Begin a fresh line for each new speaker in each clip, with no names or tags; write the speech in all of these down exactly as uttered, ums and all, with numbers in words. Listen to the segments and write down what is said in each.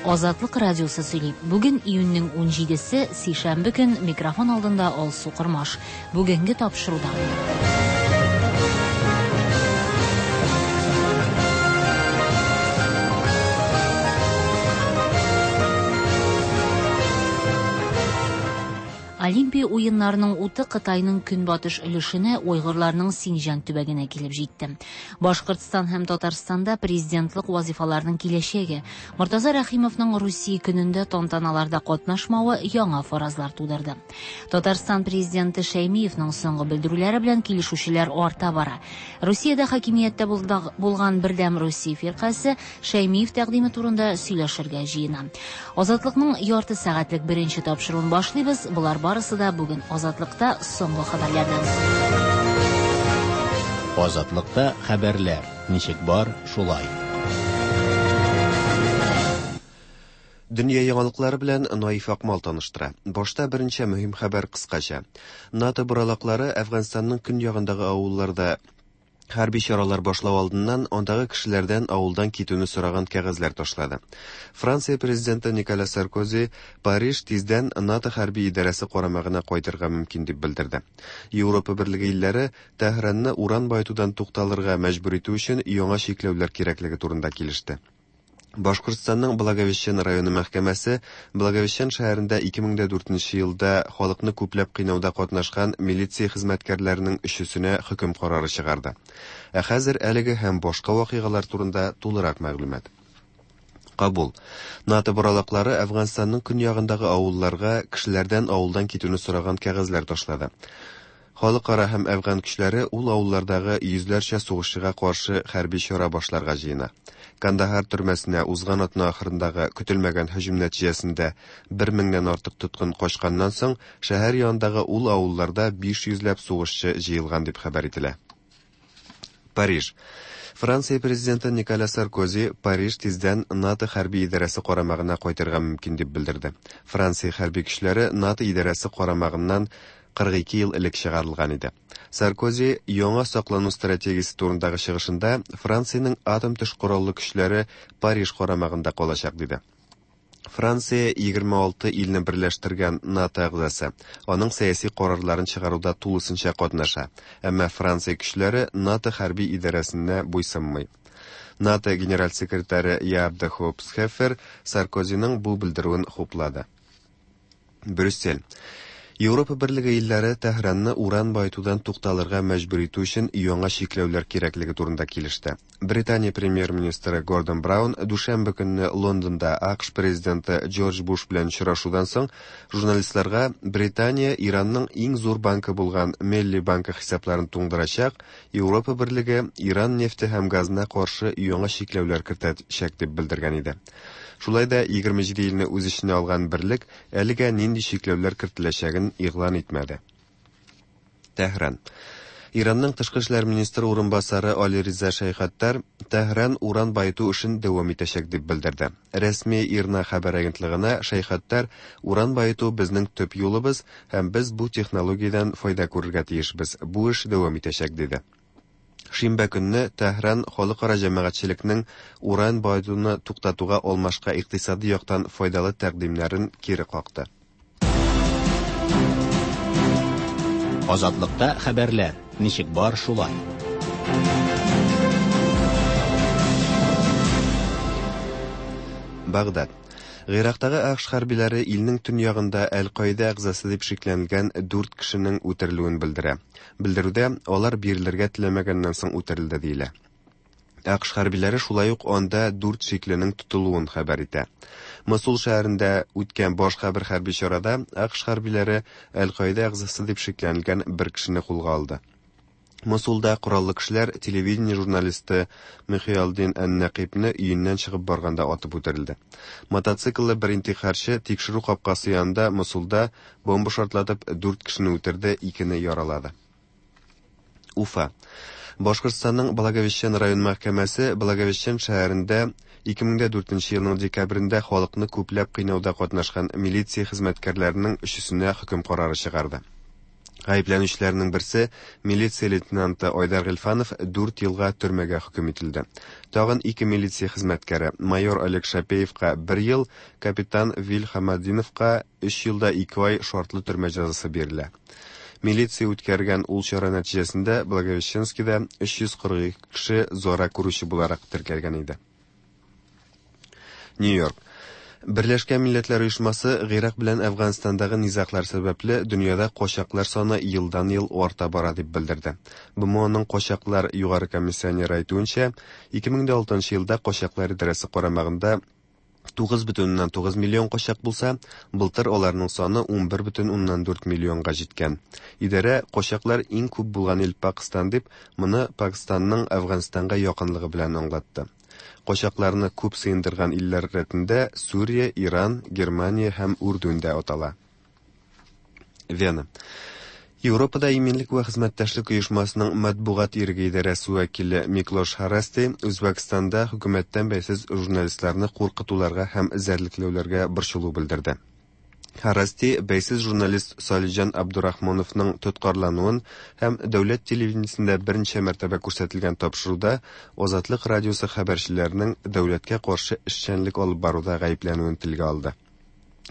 Азатлык радиосы сөйли. Бүген июньнең унҗидесе, сишәмбе көн, микрофон алдында Алсу Кормаш. Бүгенге тапшыруда. Олимпия уеннарының уты Кытайның көнбатыш өлешенә, уйгырларның Синҗан төбәгенә килеп җитте. Башкортстан һәм Татарстанда президентлык вазифаларының киләчәге, Мортаза Рәхимовның Русия көнендә тантаналарда катнашмавы яңа фаразлар тудырды. Татарстан президенты Шәймиевның соңгы белдерүләре белән килешүчеләр арта бара. Русиядә хакимияттә булган Бердәм Русия фиркасе Шәймиев тәкъдиме турында сөйләшергә җыена. Азатлыкның ярты сәгатьлек беренче тапшыруын башлыйбыз. Болар барысы да бүген Азатлыкта соңгы хәбәрләрдән соң.
Азатлыкта хәбәрләр ничек бар, шулай.
Дөнья яңалыклары белән Наиф Акмал таныштыра. Башта берничә мөһим хәбәр кыскача. НАТО боралаклары Әфганстанның көньягындагы авылларда хәрби чаралар башлау алдыннан андагы кешеләрдән авылдан китүне сораган кәгазьләр ташлады. Франция президенты Николя Саркози Париж тиздән НАТО хәрби идарәсе карамагына кайтырга мөмкин дип белдерде. Европа Берлеге илләре Тәһранны уран баетудан тукталырга мәҗбүр итү өчен яңа чикләүләр кирәклеге турында килеште. Башкортстанның Благовещен районы мәхкәмәсе Благовещен шәһәрендә ике мең дә дүртенче елда халыкны күпләп кыйнауда катнашкан милиция хезмәткәрләренең өчесенә хөкем карары чыгарды. Ә хәзер әлеге һәм башка вакыйгалар турында тулырак мәгълүмат. Кабул. НАТО боралаклары Әфганстанның көньягындагы авылларга кешеләрдән авылдан китүне сораган кәгазьләр ташлады. Халыкара һәм әфган көчләре ул авыллардагы йөзләрчә сугышчыга каршы хәрби чара башларга җыена. Кандахар төрмәсенә узган атна ахырындагы көтелмәгән һөҗүм нәтиҗәсендә бер меңнән артык тоткын качканнан соң шәһәр янындагы ул авылларда биш йөзләп сугышчы җыелган дип хәбәр ителә. Париж. Франция президенты Николя Саркози Париж тиздән НАТО хәрби идарәсе карамагына кайтырга мөмкин дип белдерде. Франция хәрби көчләре НАТО идарәсе карамагыннан кырык ике ел элек чыгарылган иде. Саркози яңа саклану стратегиясе турындагы чыгышында Франциянең атом төш кораллы көчләре Париж карамагында калачак диде. Франция егерме алты илне берләштергән НАТО әгъзасы, аның сәяси карарларын чыгаруда тулысынча катнаша. Әмма Франция көчләре НАТО хәрби идарәсенә буйсынмый. НАТО генераль секретаре Яап де Хоп Схефер Саркозиның бу белдерүен хуплады. Брюссель. Европа Берлеге илләре Тәһранны уран баетудан тукталырга мәҗбүр итү өчен яңа чикләүләр кирәклеге турында килеште. Британия премьер-министры Гордон Браун дүшәмбе көнне Лондонда АКШ президенты Джордж Буш белән очрашудан соң журналистларга Британия Иранның иң зур банкы булган Мелли банкы хисапларын туңдырачак, Европа Берлеге Иран нефте һәм газына каршы яңа чикләүләр кертәчәк дип белдергән иде. Шулай да егерме җиде илне үз эченә алган берлек әлегә нинди чикләүләр кертеләчәген игълан итмәде. Тәһран. Иранның тышкы эшләр министры урынбасары Али Риза Шәйхаттар Тәһран уран баету эшен дәвам итәчәк дип белдерде. Рәсми Ирна хәбәр агентлыгына Шәйхаттар уран баету безнең төп юлыбыз һәм без бу технологиядән файда күрергә тиешбез. Бу эш дәвам итәчәк диде. Шимбә көнне Тәһран халыкара җәмәгатьчелекнең уран баетуны туктатуга алмашка икътисади яктан файдалы тәкъдимнәрен кире какты.
Азатлыкта хәбәрләр ничек бар, шулай.
Багдад. Гыйрактагы АКШ хәрбиләре илнең төньягында Әл-Каида әгъзасы дип шикләнелгән дүрт кешенең үтерелүен белдерә. Белдерүдә алар бирелергә теләмәгәннән соң үтерелде диелә. АКШ хәрбиләре шулай ук анда дүрт шикленең тотылуын хәбәр итә. Мосул шәһәрендә үткән башка бер хәрби чарада АКШ хәрбиләре Әл-Каида әгъзасы дип шикләнелгән бер кешене кулга алды. Мосулда кораллы кешеләр телевидение журналисты Михиалдин Ән-Нәкыйпне өеннән чыгып барганда атып үтерелде. Мотоцикллы бер интихарчы тикшерү капкасы янында Мосулда бомба шартлатып дүрт кешене үтерде, икене яралады. Уфа. Башкортстанның Благовещен район мәхкәмәсе Благовещен шәһәрендә ике мең дә дүртенче елның декабрендә халыкны күпләп кыйнауда катнашкан милиция хезмәткәрләренең өчесенә хөкем карары чыгарды. Гаепләнүчеләрнең берсе, милиция лейтенанты Айдар Гыйльфанов дүрт елга төрмәгә хөкем ителде. Тагын ике милиция хезмәткәре, майор Олег Шапеевка бер ел, капитан Вил Хамадиновка өч елда ике ай шартлы төрмә җәзасы бирелә. Милиция үткәргән ул чара нәтиҗәсендә Благовещенскида өч йөз кырык ике кеше зара күрүче буларак теркәлгән иде. Нью-Йорк. Берләшкән Милләтләр Оешмасы Гыйрак белән Әфганстандагы низаглар сәбәпле дөньяда качаклар саны елдан-ел арта бара дип белдерде. БМОның качаклар югары комиссионеры әйтүенчә, ике мең дә алтынчы елда качаклар идарәсе карамагында тугыз бөтен уннан тугыз миллион качак булса, былтыр аларның саны унбер бөтен уннан дүрт миллионга җиткән. Идарә качаклар иң күп булган ил Пакистан дип, моны Пакистанның Әфганстанга якынлыгы белән аңлатты. Качакларны күп сыендырган илләр рәтендә Сүрия, Иран, Германия һәм Үрдүн дә атала. Вена. Европада иминлек вә хезмәттәшлек оешмасының матбугат иреге идарәсе вәкиле Миклош Харасти Үзбәкстанда хөкүмәттән бәйсез журналистларны куркытуларга һәм эзәрлекләүләргә борчылу белдерде. Харасти бәйсез журналист Салиҗан Абдурахмановның тоткарлануын һәм дәүләт телевидениесендә берничә мәртәбә күрсәтелгән тапшыруда Азатлык радиосы хәбәрчеләренең дәүләткә каршы эшчәнлек алып баруда гаепләнүен телгә алды.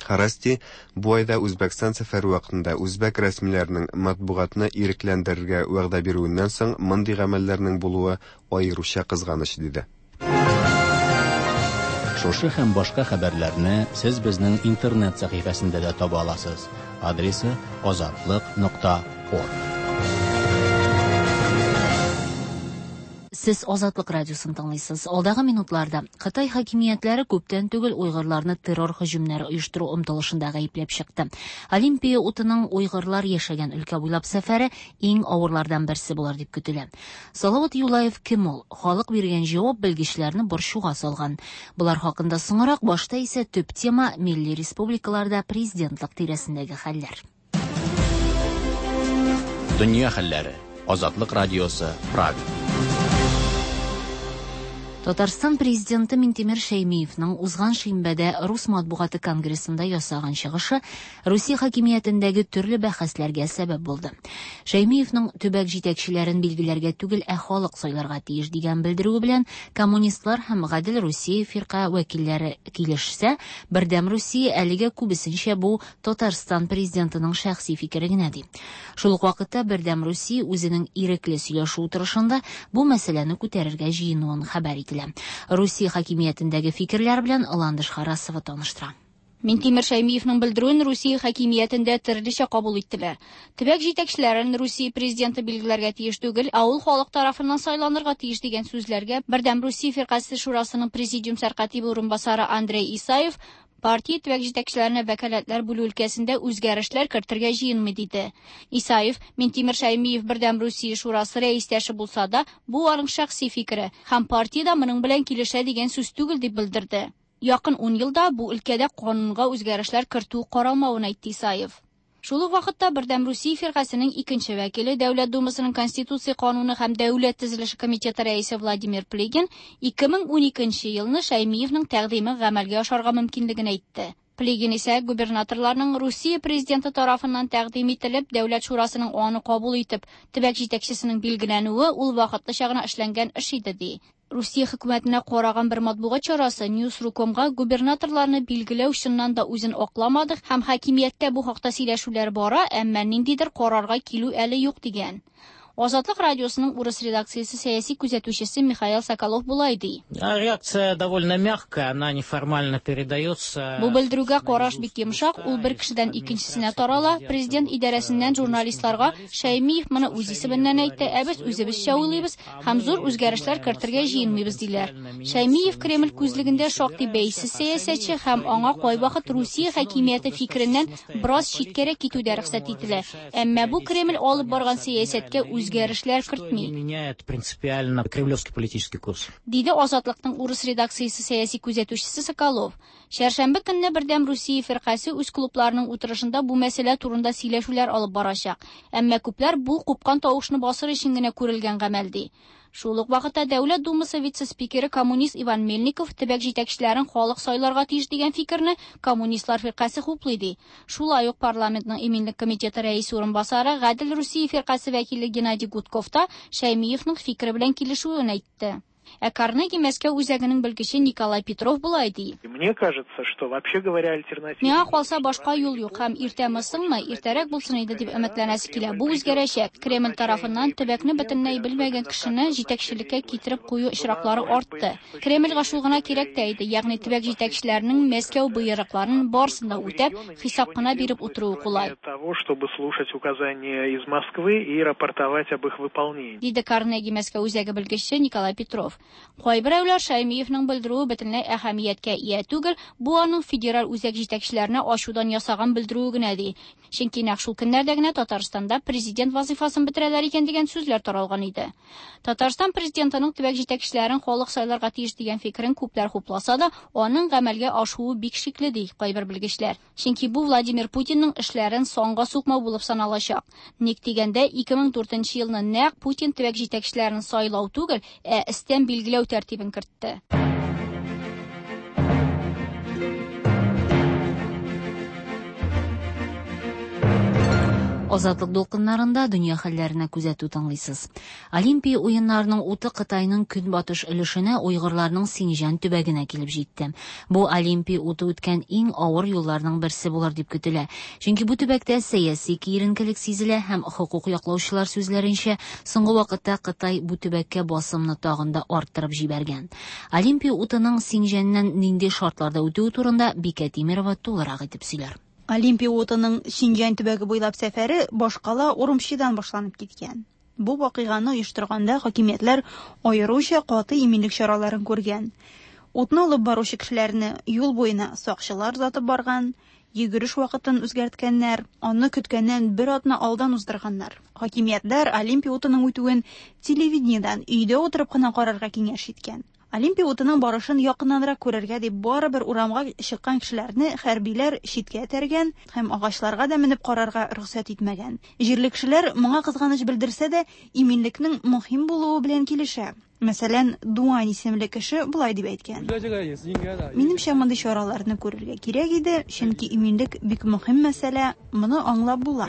Харасти бу айда Үзбәкстан сәфәре вакытында үзбәк рәсмиләренең матбугатны ирекләндерергә вәгъдә бирүеннән соң мондый гамәлләрнең булуы аеруча кызганыч диде.
Шушы һәм башка хәбәрләрне сез безнең интернет сәхифәсендә дә таба аласыз. Адресы азатлык нокта орг.
Сез Азатлык радиосын тыңлыйсыз. Алдагы минутларда Кытай хакимиятләре күптән түгел уйгырларны террор һөҗүмнәре оештыру омтылышында гаепләп чыкты. Олимпия утының уйгырлар яшәгән өлкә буйлап сәфәре иң авырлардан берсе булыр дип көтелә. Салават Юлаев кем ул? Халык биргән җавап белгечләрне борчуга салган. Булар хакында соңрак, башта исә төп тема милли республикаларда президентлык тирәсендәге хәлләр.
Дөнья хәлләре. Азатлык радиосы, Прага.
Татарстан президенты Минтимер Шәймиевның узган шимбәдә Рус матбугаты конгрессында ясаган чыгышы Русия хакимиятендәге төрле бәхәсләргә сәбәп булды. Шәймиевның төбәк җитәкчеләрен билгеләргә түгел, ә халык сайларга тиеш дигән белдерүе белән коммунистлар һәм Гадел Русия фирка вәкилләре килешсә, Бердәм Русия әлегә күбесенчә бу Татарстан президентының шәхси фикере генә ди. Шул ук вакытта Бердәм Русия үзенең ирекле сөйләшү утырышында бу мәсьәләне күтәрергә җыенуын хәбәр ителә. Русия хакимиятендәге фикерләр белән Ландыш Харасова таныштыра.
Минтимер Шәймиевның белдерүен Русия хакимиятендә төрлечә кабул иттеләр. Төбәк җитәкчеләрен Русия президенты билгеләргә тиеш түгел, ә ул халык тарафыннан сайланырга тиеш дигән сүзләргә Бердәм Русия фиркасе шурасының президиум сәркатибе урынбасары Андрей Исаев партия төбәк җитәкчеләренә вәкаләтләр бүлү өлкәсендә үзгәрешләр кертергә җыенмый диде. Исаев Минтимер Шәймиев Бердәм Русия шурасы рәистәше булса да, бу аның шәхси фикере һәм партия дә моның белән килешә дигән сүз түгел дип белдерде. Якын ун елда бу өлкәдә канунга үзгәрешләр кертү каралмавын әйтте Исаев. Шул ук вакытта Бердәм Русия фиркасының икенче вәкиле, Дәүләт Думасының Конституция кануны һәм Дәүләт төзелеше комитеты рәисе Владимир Плигин ике мең уникенче елны Шәймиевның тәкъдиме гамәлгә ашарга мөмкинлеген әйтте. Плигин исә губернаторларның Русия президенты тарафыннан тәкъдим ителеп, Дәүләт шурасының аны кабул итеп, төбәк җитәкчесенең билгеләнүе ул вакытлыча гына эшләнгән эш иде ди. Русия хөкүмәтенә караган бер матбугат чарасы Ньюс.ру.комга губернаторларны билгеләү чыннан да үзен акламады һәм хакимияттә бу хакта сөйләшүләр бара, әмма ниндидер карарга килү әле юк дигән. Азатлык радиосының урыс редакциясе сәяси күзәтүчесе Михаил Соколов болай ди.
Реакция довольно мягкая, она неформально передается.
Бу белдерүгә караш бик йомшак, ул бер кешедән икенчесенә тарала. Президент идарәсеннән журналистларга Шәймиев моны үз исеменнән әйтте, ә без үзебезчә уйлыйбыз һәм зур үзгәрешләр кертергә җыенмыйбыз диләр. Шәймиев Кремль күзлегендә шактый бәйсез сәясәтче һәм аңа кайвакыт Русия хакимияте фикереннән бераз читкәрәк китү дә рөхсәт ителә. Әмма бу Кремль алып барган сәясәткә үз үзгәрешләр кертми.
Меняет принципиально кремлевский политический курс.
Диде Азатлыкның урыс редакциясе сәяси күзәтүчесе Соколов. Чәршәмбе көнне Бердәм Русия фиркасе үз клубларының утырышында бу мәсьәлә турында сөйләшүләр алып барачак. Әмма күпләр бу купкан тавышны басыр өчен генә күрелгән гамәл ди. Шул ук вакытта Дәүләт Думасы вице-спикеры коммунист Иван Мельников төбәк җитәкчеләрен халык сайларга тиеш дигән фикерне коммунистлар фиркасе хуплый ди. Шулай ук парламентның иминлек комитеты рәисе урынбасары Гадел Русия фиркасе вәкиле Геннадий Гудков та Шәймиевның фикере белән килешүен әйтте. Ә Карнеги Мәскәү үзәгенең белгече Николай Петров болай ди.
Мне кажется, что вообще говоря альтернатива.
Миңа калса башка юл юк һәм иртәме соңмы, иртәрәк булсын иде дип өметләнәсе килә. Бу үзгәрәчәк. Кремль тарафыннан төбәкне бөтенләй белмәгән кешене җитәкчелеккә китереп кую очраклары артты. Кремльгә шул гына кирәк тә иде, ягъни төбәк җитәкчеләренең Мәскәү боерыкларын барысын да үтәп, хисап кына биреп утыруы кулай.
Того, чтобы слушать указания из Москвы и рапортовать об их выполнении.
Диде Карнеги Мәскәү үзәге белгече Николай Петров. Кайберәүләр Шәймиевның белдерүе бөтенләй әһәмияткә ия түгел, бу аның федераль үзәк җитәкчеләренә ачудан ясаган белдерүе генә ди. Чөнки нәкъ шул көннәрдә генә Татарстанда президент вазифасын бетерәләр икән дигән сүзләр таралган иде. Татарстан президентының төбәк җитәкчеләрен халык сайларга тиеш дигән фикерен күпләр хупласа да, аның гамәлгә ашуы бик шикле ди кайбер белгечләр. Чөнки бу Владимир Путинның эшләрен санга сукмау булып саналачак. Ник дигәндә, ике мең дүртенче елны нәкъ Путин төбәк җитәкчеләрен сайлау түгел, ә өстән билгеләү тәртибен кертте.
Азатлык дулкыннарында дөнья хәлләренә күзәтү тыңлыйсыз. Олимпия уеннарының уты Кытайның көнбатыш өлешенә, уйгырларның Синҗан төбәгенә килеп җитте. Бу Олимпия уты үткән иң авыр юлларның берсе булыр дип көтелә. Чөнки бу төбәктә сәяси киеренкелек сизелә һәм хокук яклаучылар сүзләренчә, соңгы вакытта Кытай бу төбәккә басымны тагын да арттырып җибәргән. Олимпия утының Синҗаннан нинди шартларда үтүе турында Бикә Тимирова тулырак итеп сөйләр.
Олимпия утының Синҗан төбәге буйлап сәфәре башкала Урумчидан башланып киткән. Бу вакыйганы оештырганда хакимиятләр аеруча каты иминлек чараларын күргән. Утны алып баручы кешеләрне юл буена сакчылар озатып барган, йөгереш вакытын үзгәрткәннәр, аны көткәннән бер атна алдан уздырганнар. Хакимиятләр Олимпия утының үтүен телевидениедән өйдә утырып кына карарга киңәш иткән. Олимпия утының барышын якыннанрак күрергә дип барыбер урамга чыккан кешеләрне хәрбиләр читкә этәргән һәм агачларга да менеп карарга рөхсәт итмәгән. Җирле кешеләр моңа кызганыч белдерсә дә, иминлекнең мөһим булуы белән килешә. Мәсәлән, Дуан исемле кеше болай дип әйткән: Минемчә, мондый чараларны күрергә кирәк иде, чөнки иминлек бик мөһим мәсьәлә, моны аңлап була,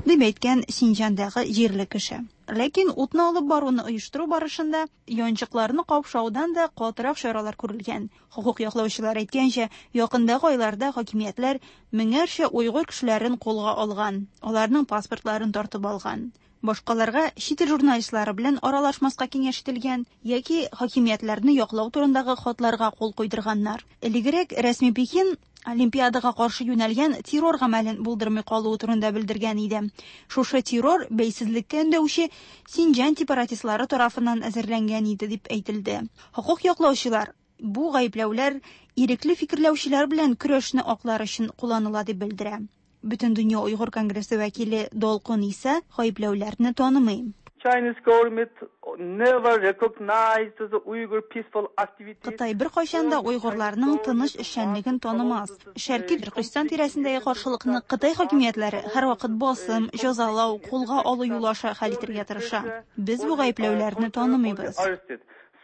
дип әйткән Синҗандагы җирле кеше. Ләкин утны алып баруны оештыру барышында янчыкларны капшаудан да катырак чаралар күрелгән. Хокук яклаучылар әйткәнчә, якындагы айларда хакимиятләр меңәрчә уйгыр кешеләрен кулга алган, аларның паспортларын тартып алган. Башкаларга чит ил журналистлары белән аралашмаска киңәш ителгән яки хакимиятләрне яклау турындагы хатларга кул куйдырганнар. Элегрәк рәсми Пекин Олимпиадага каршы юнәлгән террор гамәлен булдырмый калуы турында белдергән иде. Шушы террор бәйсезлеккә өндәүче Синҗан сепаратистлары тарафыннан әзерләнгән иде дип әйтелде. Хокук яклаучылар бу гаепләүләр ирекле фикерләүчеләр белән көрәшне аклар өчен кулланыла дип белдерә. Бөтен дөнья Уйгыр конгрессы вәкиле Долкун Иса гаепләүләрне танымый.
Chinese government never recognized the Uyghur peaceful activities.
Кытай бер кайчан да уйгырларның тыныч эшчәнлеген танымас. Шәрки Төркестан тирәсендәге каршылыкны Кытай хакимиятләре һәрвакыт басым, җәзалау, кулга алу юлы аша хәл итәргә тырыша. Без бу гаепләүләрне танымыйбыз.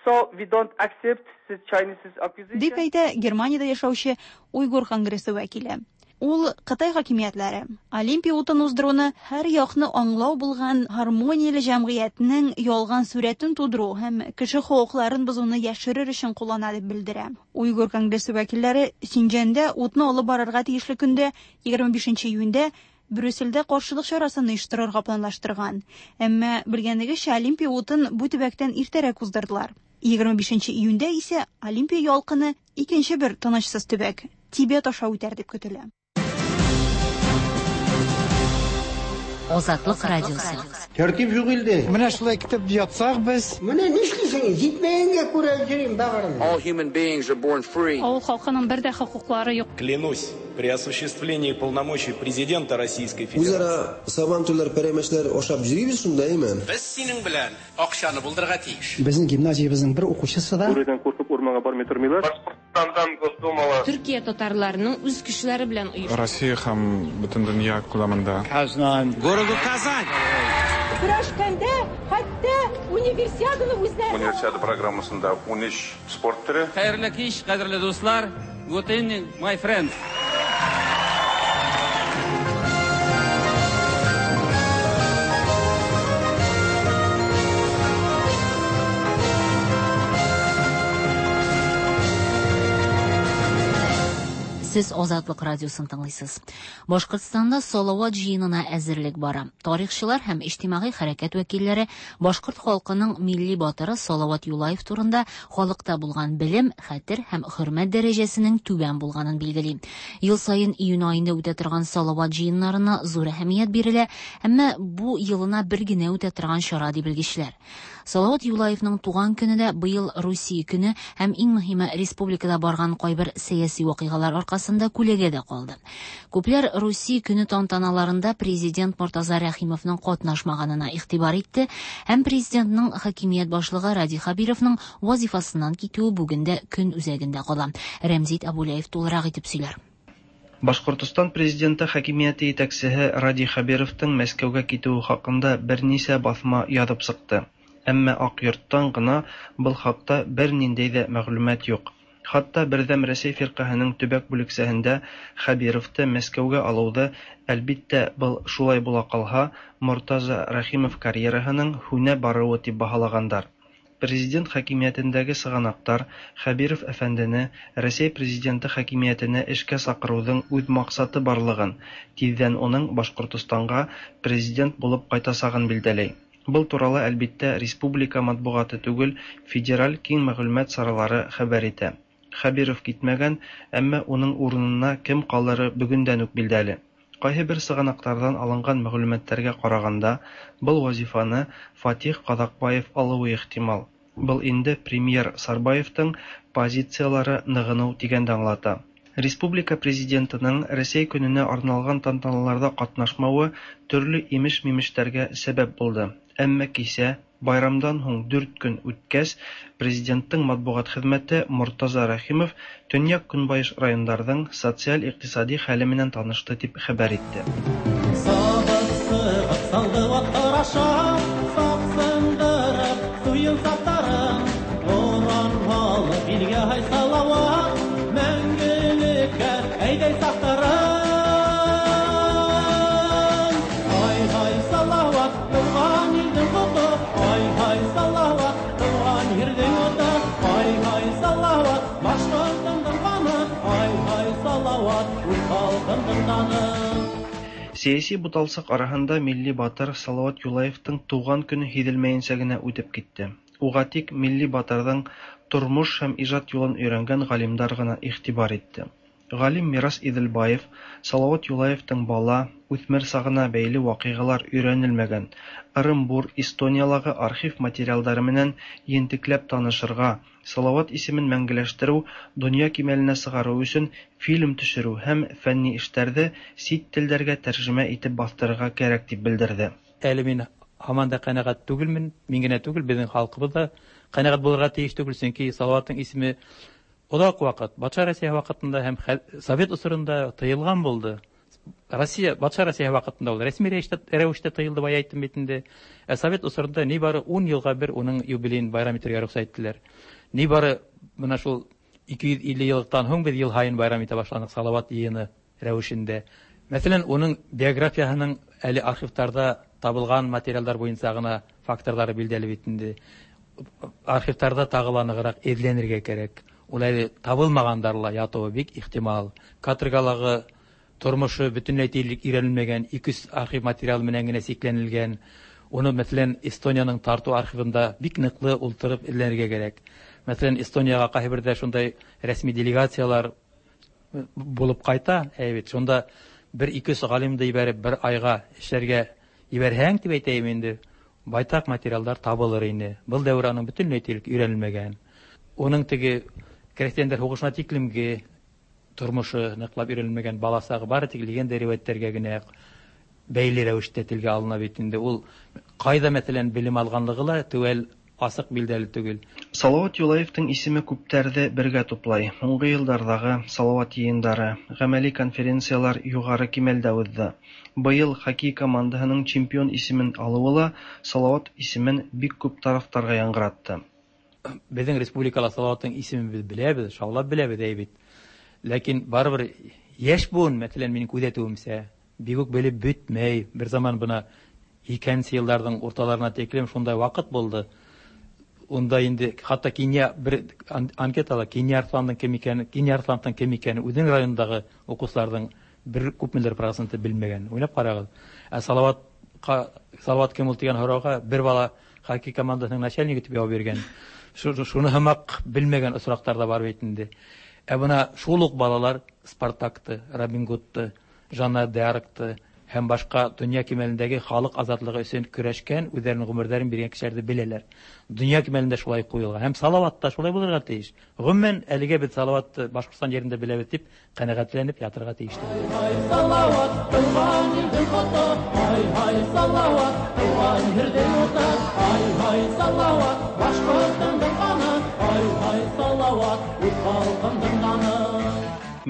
So we don't accept the Chinese accusation.
Дип әйтә Германиядә яшәүче Уйгыр конгрессы вәкиле. Ул Кытай хакимиятләре Олимпия утын уздыруны һәр якны аңлау булган гармонияле җәмгыятьнең ялган сурәтен тудыру һәм кеше хокукларын бозуны яшерер өчен куллана дип белдерә. Уйгыр конгрессы вәкилләре Синҗанда утны алып барырга тиешле көндә егерме бишенче июньдә Брюссельдә каршылык чарасын оештырырга планлаштырган. Әмма белгәнегезчә, Олимпия утын бу төбәктән иртәрәк уздырдылар. егерме бишенче июньдә исә Олимпия ялкыны икенче бер тынычсыз төбәк Тибет аша үтәр дип көтелә.
Азатлык радиосы.
Тәртип юк илдә.
Менә шулай китеп ятсак без.
Менә нишлисең? Җитмәгәнгә күрә йөрим багырым.
All human beings are born free.
Авыл халкының бер дә хокуклары юк.
Клянусь, при осуществлении полномочий президента Российской Федерации.
Үзара сабантуйлар, пәрәмәчләр ашап йөрибез шунда, әйме?
Без синең белән акчаны булдырырга тиеш.
Безнең гимназиябезнең бер укучысы да
Бүредән куркып урманга бармый тормыйлар. Башкортстандан Госдумала.
Төркия татарларының үз көчләре белән оештырган.
Россия һәм бөтен дөнья күләмендә.
Казан. Городу Казань.
Көрәшкәндә
Хәтта универсиаданы үзләре.
Универсиада программасында ун өч спорт төре.
Хәерле кич, кадерле дуслар. Good evening, my friends.
Сез Азатлык радиосын тыңлыйсыз. Башкортстанда Салават җыенына әзерлек бара. Тарихчылар һәм иҗтимагый хәрәкәт вәкилләре башкорт халкының милли батыры Салават Юлаев турында халыкта булган белем, хәтер һәм хөрмәт дәрәҗәсенең түбән булганын билгели. Ел саен июнь аенда үтә торган Салават җыеннарына зур әһәмият бирелә, әмма бу елына бер генә үтә торган чара ди белгечләр. Салават Юлаевның туган көне дә быел Русия көне һәм иң мөһиме республикада барган кайбер сәяси вакыйгалар аркасында күләгәдә калды. Күпләр Русия көне тантаналарында президент Мортаза Рәхимовның катнашмаганына игътибар итте һәм президентның хакимият башлыгы Радий Хәбировның вазифасыннан китүе бүген дә көн үзәгендә кала. Рәмзит Абулаев тулырак итеп сөйләр.
Башкортостан президенты хакимияте җитәкчесе Радий Хәбировның Мәскәүгә китүе хакында берничә басма язып чыкты. Әмма Ак йорттан гына был хакта бернинди дә мәгълүмат юк. Хатта Бердәм Рәсәй фирҡәһенең төбәк бүлексәһендә Хәбировты Мәскәүгә алыуҙы, әлбиттә, был шулай була ҡалһа, Мортаза Рәхимов карьераһының һүнә барыуы тип баһалағандар. Президент хакимиәтендәге сығанаҡтар Хәбиров әфәндене Рәсәй президенты хакимиәтенә эшкә саҡырыуҙың үҙ маҡсаты барлығын, тиҙҙән уның Башҡортостанға президент булып ҡайтасағын билдәләй. Был турала, әлбиттә, республика матбуғаты түгел, федераль киң мәғлүмәт саралары хәбәр итә. Хәбиров китмәгән, әмма уның урынына кем ҡалыры бөгөндән үк билдәле. Ҡайһы бер сығанаҡтарҙан алынған мәғлүмәттәргә ҡарағанда, был вазифаны Фатих Ҡаҙаҡбаев алыуы ихтимал. Был инде премьер Сарбаевтың позициялары нығыныу тигәнде аңлата. Республика президентының Рәсәй көнөнә арналған тантаналарҙа ҡатнашмауы төрлө имеш-мимештәргә сәбәп булды. Әммә кисә, байрамдан һуң дүрт көн үткәс, президенттың матбуғат хеҙмәте Мортаза Рәхимов төньяҡ-көнбайыш райондарҙың социаль-иҡтисади хәле менән танышты тип хәбәр итте. Сәйәси буталсыҡ араһында милли батыр Салават Юлаевтың тыуған көнө һиҙелмәйенсә генә үтеп китте. Уға тик милли батырҙың тормош һәм ижад юлын өйрәнгән ғалимдар ғына иғтибар итте. Ғалим Мирас Иҙелбаев Салават Юлаевтың бала, үҫмер сағына бәйле ваҡиғалар өйрәнелмәгән Ырымбур, Эстониялағы архив материалдары менән ентекләп танышырға, Салават исемен мәңгеләштереү, донъя кимәленә сығарыу өсөн фильм төшөрөү һәм фәнни эштәрҙе сит телдәргә тәржемә итеп баҫтырырға кәрәк тип белдерҙе.
Әле мин һаман да ҡәнәғәт түгелмен, мин генә түгел, беҙҙең халҡыбыҙ ҙа ҡәнәғәт булырға тейеш түгел, сөнки Салаваттың исеме оҙаҡ ваҡыт, батша Россия ваҡытында һәм Совет осоронда тыйылған булды. Россия, батша Россия ваҡытында ул рәсми рәүештә тыйылды, бая әйттем бит инде. Ә Совет осоронда ни бары ун йылға бер уның юбилейын байрам итергә рөхсәт иттеләр. Ни бары бына шул ике йөҙ илле йыллыҡтан һуң беҙ йыл һайын байрам итә башланыҡ Салават йыйыны рәүешендә. Мәҫәлән, уның биографияһының әле архивтарҙа табылған материалдар буйынса ғына факторҙары билдәле бит инде. Архивтарҙа тағы ла нығыраҡ эҙләнергә кәрәк. Ул әле табылмағандар ла ятыуы бик ихтимал. Каторгалағы тормошо бөтөнләй тиерлек өйрәнелмәгән, ике йөҙ архив материалы менән генә сикләнелгән. Уны, мәҫәлән, Эстониянең Тарту архивында бик ныҡлы ултырып эҙләнергә кәрәк. Мәҫәлән, Эстонияға ҡайһы берҙә шундай рәсми делегациялар булып ҡайта, әй бит, шунда бер ике йөҙ ғалимды ебәреп бер айға эшләргә ебәрһәң тип әйтәйем инде, байтаҡ материалдар табылыр ине. Был дәүер аның бөтөнләй тиерлек өйрәнелмәгән. Уның теге крәҫтиәндәр һуғышына тиклемге тормошо ныҡлап өйрәнелмәгән, бала сағы бары тик легенда риүәттәргә генә бәйле рәүештә телгә алына бит инде. Ул ҡайҙа, мәҫәлән, белем алғанлығы ла теүәл асык билдәле түгел.
Салават Юлаевтың исеме күптәрҙе бергә туплай. Һуңғы йылдарҙағы Салават йыйындары, ғәмәли конференциялар юғары кимәлдә уҙҙы. Быйыл хоккей командаһының чемпион исемен алыуы ла Салават исемен бик күп тарафтарға яңғыратты.
Беҙҙең республикала Салаваттың исемен беҙ беләбеҙ, шаулап беләбеҙ әй бит. Ләкин барыбер йәш быуын, мәҫәлән, минең күҙәтеүемсә, бик үк белеп бөтмәй. Бер заман бына икенсе йылдарҙың урталарына тиклем шундай ваҡыт булды. Унда инде хатта Кинйә бер анкетала Кинйә Арсландың кем икәнен, Кинйә Арсландың кем икәнен үҙенең районындағы уҡыусыларҙың бер күпмелер проценты белмәгән. Уйлап ҡарағыҙ. Ә Салаватҡа, Салават кем ул тигән һорауға бер бала хоккей командаһының начальнигы тип яуап биргән. Шуны һымаҡ белмәгән осраҡтар ҙа бар бит инде. Ә бына шул уҡ балалар Спартакты, Робин Гудты, Жанна д'Аркты һәм башҡа донъя кимәлендәге халыҡ азатлығы өсөн көрәшкән, үҙҙәренең ғүмерҙәрен биргән кешеләрҙе беләләр. Донъя кимәлендә шулай ҡуйылған. Һәм Салават та шулай булырға тейеш. Ғөмүмән, әлегә беҙ Салаватты Башҡортостан ерендә беләбеҙ тип ҡәнәғәтләнеп ятырға тейеш түгел.
Ай, Салават, тыуған илдең ҡото, ай, ай, Салават, тыуған ерҙең уты, ай, ай, Салават, башҡортондоң ҡаны, ай, ай, Салават, үҙ халҡымдың даны.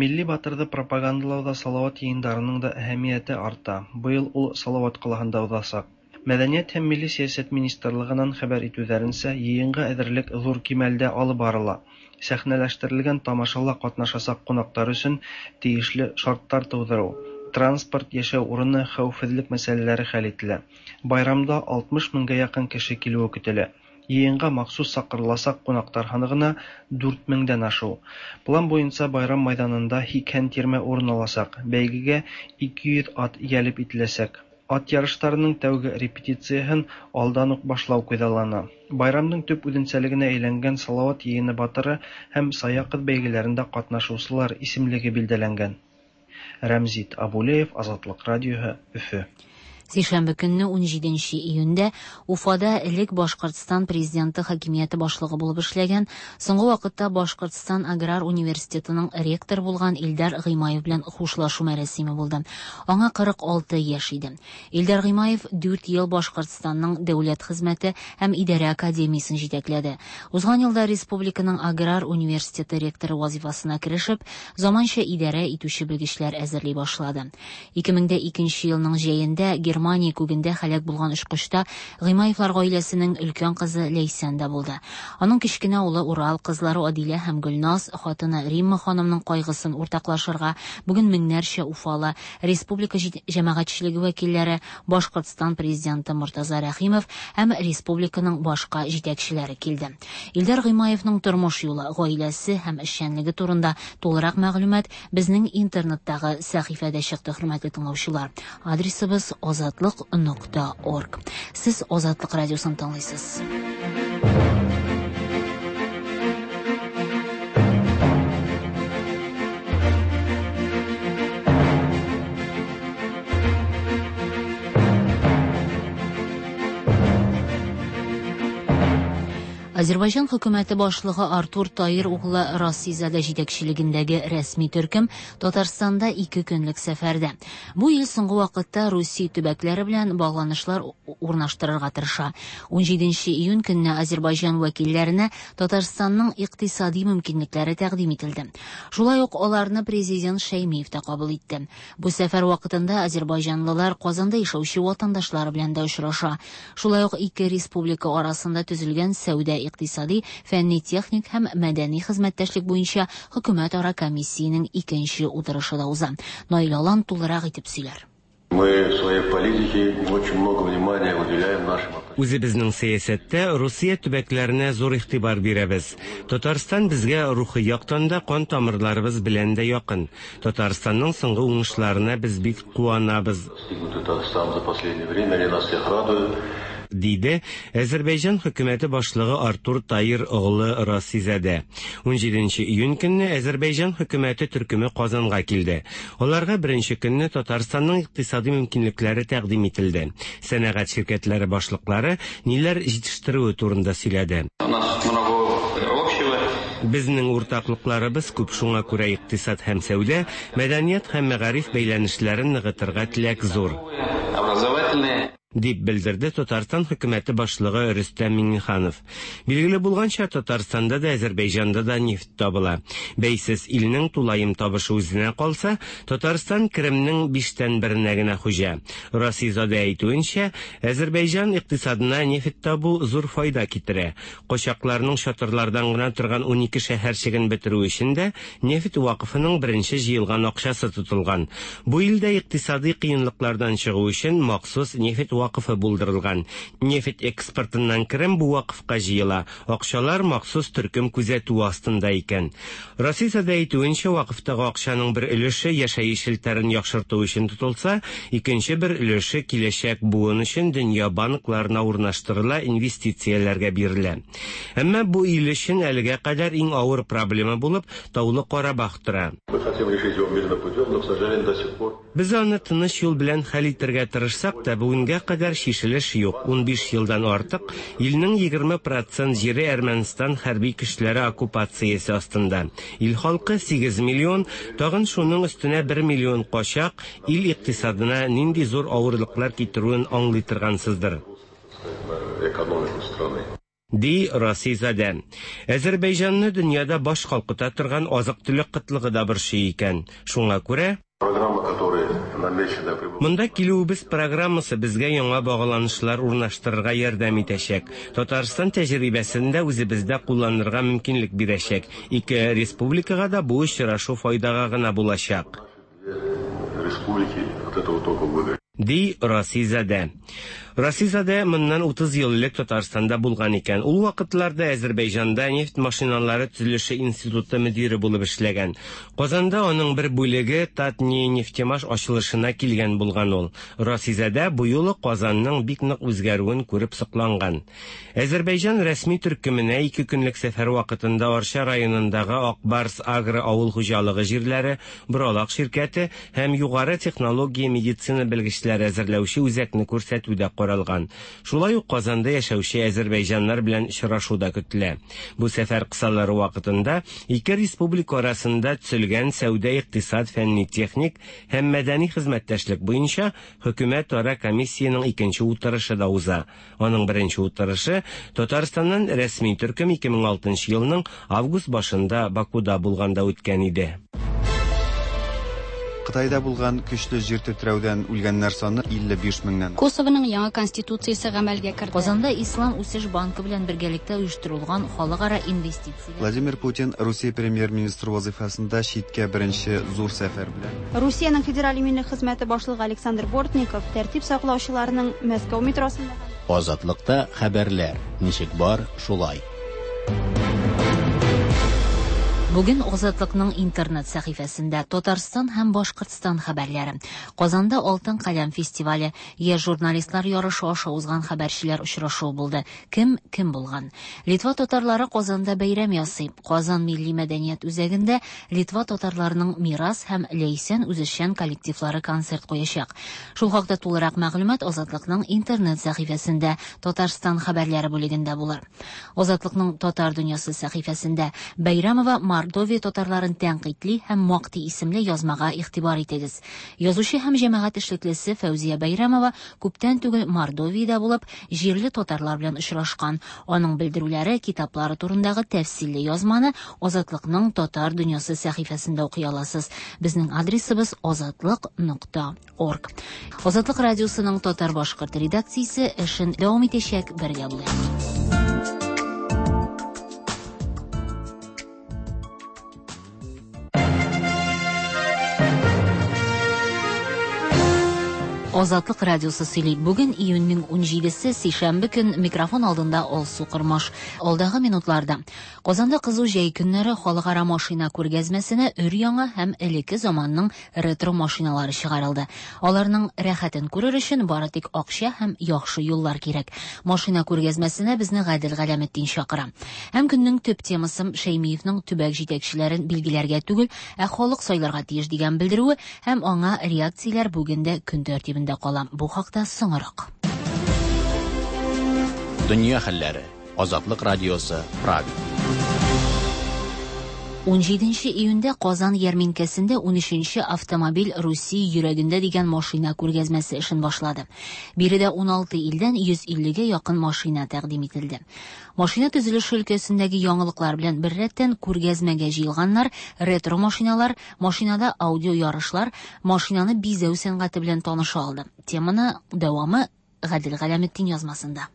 Милли батырҙы пропагандалауҙа Салават йыйындарының да әһәмиәте арта. Быйыл ул Салават ҡалаһында уҙасаҡ. Мәҙәниәт һәм милли сәйәсәт министрлығынан хәбәр итеүҙәренсә, йыйынға әҙерлек ҙур кимәлдә алып барыла. Сәхнәләштерелгән тамашала ҡатнашасаҡ ҡунаҡтар өсөн тейешле шарттар тыуҙырыу, транспорт, йәшәү урыны, хәүефһеҙлек мәсьәләләре хәл ителә. Байрамда алтмыш меңгә яҡын кеше килеүе көтөлә. Йыйынға махсус саҡырыласаҡ ҡунаҡтар һаны ғына дүрт меңдән ашыу. План буйынса байрам майҙанында һикһән тирмә урын аласаҡ. Бәйгегә ике йөҙ ат йәлеп ителәсәк. Ат ярыштарының тәүге репетицияһын алдан уҡ башлау күҙаллана. Байрамдың төп үҙенсәлегенә әйләнгән Салават йыйыны батыры һәм Сая ҡыҙ бәйгеләрендә ҡатнашыусылар исемлеге билдәләнгән. Рәмзит Абулеев, Азатлыҡ радиоһы, Өфө.
Сишәмбе көнне ун җиденче июньдә Уфада элек Башкортстан президенты хакимияте башлыгы булып эшләгән, соңгы вакытта Башкортстан аграр университетының ректоры булган Илдар Гыймаев белән хушлашу мәрасиме булды. Аңа кырык алты яшь иде. Илдар Гыймаев дүрт ел Башкортстанның дәүләт хезмәте һәм идарә академиясен җитәкләде. Узган елда республиканың аграр университеты ректоры вазифасына керешеп, заманча идарә итүче белгечләр әзерли башлады. ике мең дә икенче елның җәендә Германия күгендә һәлак булган очкычта Гыймаевлар гаиләсенең өлкән кызы Ләйсән дә булды. Аның кечкенә улы Урал, кызлары Адилә һәм Гөлназ, хатыны Римма ханымның кайгысын уртаклашырга бүген меңнәрчә уфалы, республика җәмәгатьчелеге вәкилләре, Башкортстан президенты Мортаза Рәхимов һәм республиканың башка җитәкчеләре килде. Илдар Гыймаевның тормыш юлы, гаиләсе һәм эшчәнлеге турында тулырак мәгълүмат безнең интернеттагы сәхифәдә чыкты, хөрмәтле тыңлаучылар. Адресыбыз азатлык нокта орг. Сез Азатлык радиосын тыңлыйсыз. Азербайҗан хөкүмәте башлыгы Артур Таир углы Расизада җитәкчелегендәге рәсми төркем Татарстанда ике көнлек сәфәрдә. Бу ел соңгы вакытта Русия төбәкләре белән багланышлар урнаштырырга тырыша. ун җиденче июнь көнне Азербайҗан вәкилләренә Татарстанның икътисади мөмкинлекләре тәкъдим ителде. Шулай ук аларны президент Шәймиев та кабул итте. Бу сәфәр вакытында азербайҗанлылар Казанда яшәүче ватандашлары белән дә очраша. Шулай ук ике республика арасында төзелгән сәүдә, икътисади, фәнни-техник һәм мәдәни хезмәттәшлек буенча хөкүмәтара комиссиянең икенче утырышы да уза. Наил Алан тулырак итеп сөйләр.
Мы в своей политике очень много внимания уделяем нашим.
Үзебезнең сәясәттә Русия төбәкләренә зур игътибар бирәбез. Татарстан безгә рухи яктан да, кан тамырларыбыз белән дә якын. Татарстанның соңгы уңышларына без бик куанабыз.
Татарстан за последнее время они нас всех радуют.
Диде Азербайҗан хөкүмәте башлыгы Артур Таир оглы Расизадә. ун җиденче июнь көнне Азербайҗан хөкүмәте төркеме Казанга килде. Аларга беренче көнне Татарстанның икътисади мөмкинлекләре тәкъдим ителде. Сәнәгать ширкәтләре башлыклары ниләр җитештерүе турында сөйләде. Безнең уртаклыкларыбыз күп, шуңа күрә икътисад һәм сәүдә, мәдәният һәм мәгариф бәйләнешләрен ныгытырга теләк зур. Дип белдерде Татарстан хөкүмәте башлыгы Рөстәм Миңнеханов. Билгеле булганча, Татарстанда да, Азәрбайҗанда да нефть табыла. Бәйсез илнең тулаем табышы үзенә калса, Татарстан керемнең биштән беренә генә хуҗа. Расизадә әйтүенчә, Азәрбайҗан икътисадына нефть табу зур файда китерә. Качакларның чатырлардан гына торган унике шәһәрчеген бетерү өчен дә нефть вакыфының беренче җыелган акчасы тотылган. Бу илдә икътисади кыенлыклардан чыгу өчен махсус нефть вакыфы булдырылган. Нефть экспортыннан керем бу вакыфка җыела. Акчалар махсус төркем күзәтү астында икән. Расизадә әйтүенчә, вакыфтагы акчаның бер өлеше яшәеш челтәрен яхшырту өчен тотылса, икенче бер өлеше киләчәк буын өчен дөнья банкларына урнаштырыла, инвестицияләргә бирелә. Әмма бу ил өчен әлегә кадәр иң авыр проблема булып Таулы Карабах тора. Без аны тыныч юл белән хәл итәргә тырышсак та, бүгенгә кадәр чишелеш юк. Унбиш елдан артык илнең егерме процент җире Әрмәнстан хәрби көчләре оккупациясе астында. Ил халкы сигез миллион, тагын шуның өстенә бер миллион качак ил икътисадына нинди зур авырлыклар китерүен аңлый торгансыздыр. Ди Расизадә. Азәрбайҗанны дөньяда баш калкыта торган азык-төлек кытлыгы да борчый икән. Шуңа күрә монда килүебез программасы безгә яңа багланышлар урнаштырырга ярдәм итәчәк. Татарстан тәҗрибәсен дә үзебездә кулланырга мөмкинлек бирәчәк. Ике республикага да бу очрашу файдага гына булачак. Ди Расизадә. Расизадә моннан утыз ел элек Татарстанда булган икән. Ул вакытларда Азәрбайҗанда нефть машиналары төзелеше институты мөдире булып эшләгән. Казанда аның бер бүлеге Татнефтемаш ачылышына килгән булган ул. Расизадә бу юлы Казанның бик нык үзгәрүен күреп сокланган. Азәрбайҗан рәсми төркеменә ике көнлек сәфәр вакытында Арча районындагы Акбарс агро авыл хуҗалыгы җирләре, Боралак ширкәте һәм югары технология медицина белгечләре әзерләүче үзәкне күрсәтүдә каралган. Шулай ук Казанда яшәүче азәрбайҗаннар белән очрашу да көтелә. Бу сәфәр кысалары вакытында ике республика арасында төзелгән сәүдә-икътисад, фәнни-техник һәм мәдәни хезмәттәшлек буенча хөкүмәтара комиссиянең икенче утырышы да уза. Аның беренче утырышы Татарстаннан рәсми төркем ике мең алтынчы елның август башында Бакуда булганда үткән иде.
Кытайда булган көчле җир тетрәүдән үлгәннәр саны илле биш меңнән.
Косовоның яңа конституциясе гамәлгә керде.
Казанда Ислам үсеш банкы белән бергәлектә оештырылган халыкара инвестицияләр.
Владимир Путин Русия премьер-министры вазифасында читкә беренче зур сәфәр белән.
Русиянең федераль иминлек хезмәте башлыгы Александр Бортников тәртип саклаучыларының Мәскәү метросында
Азатлыкта хәбәрләр ничек бар, шулай.
Бүген Азатлыкның интернет сәхифәсендә Татарстан һәм Башкортстан хәбәрләре. Казанда Алтын каләм фестивале, яшь журналистлар ярышы аша узган хәбәрчеләр очрашуы булды. Кем кем булган? Литва татарлары Казанда бәйрәм ясый. Казан милли мәдәният үзәгендә Литва татарларының Мирас һәм Ләйсән үзешчән коллективлары концерт куячак. Шул хакта тулырак мәгълүмат Азатлыкның интернет сәхифәсендә Татарстан хәбәрләре бүлегендә булыр. Азатлыкның Татар дөньясы сәхифәсендә Бәйрәмова Мордовия татарларын тәнкыйтьли һәм мактый исемле язмага игътибар итегез. Язучы һәм җәмәгать эшлеклесе Фәүзия Бәйрәмова күптән түгел Мордовиядә булып, җирле татарлар белән очрашкан. Аның белдерүләре, китаплары турындагы тәфсилле язманы Азатлыкның Татар дөньясы сәхифәсендә укый аласыз. Безнең адресыбыз азатлык нокта орг. Азатлык радиосының татар-башкорт редакциясе эшен дәвам итәчәк. Бергә булыйк. Азатлык радиосы сөйли. Бүген июньнең унҗидесе, сишәмбе көн, микрофон алдында Алсу Кормаш. Алдагы минутларда Казанда кызу җәй көннәре халыкара машина күргәзмәсенә өр-яңа һәм элекке заманның ретро машиналары чыгарылды. Аларның рәхәтен күрер өчен бары тик акча һәм яхшы юллар кирәк. Машина күргәзмәсенә безне Гадел Галәметдин чакыра. Һәм көннең төп темасы Шәймиевның төбәк җитәкчеләрен билгеләргә түгел, ә халык сайларга тиеш дигән белдерүе һәм аңа реакцияләр бүген дә көн тәртибендә кала. Бу хакта соңрак.
Дөнья хәлләре. Азатлык радиосы, Прага.
Унҗиденче июньдә Казан ярминкәсендә унөченче автомобиль Русия йөрәгендә дигән машина күргәзмәсе эшен башлады. Биредә уналты илдән йөз иллегә якын машина тәкъдим ителде. Машина төзелеше өлкәсендәге яңалыклар белән беррәттән күргәзмәгә җыелганнар ретро машиналар, машинада аудио ярышлар, машинаны бизәү сәнгате белән таныша алды. Теманы дәвамы Гадел Галәметдин язмасында.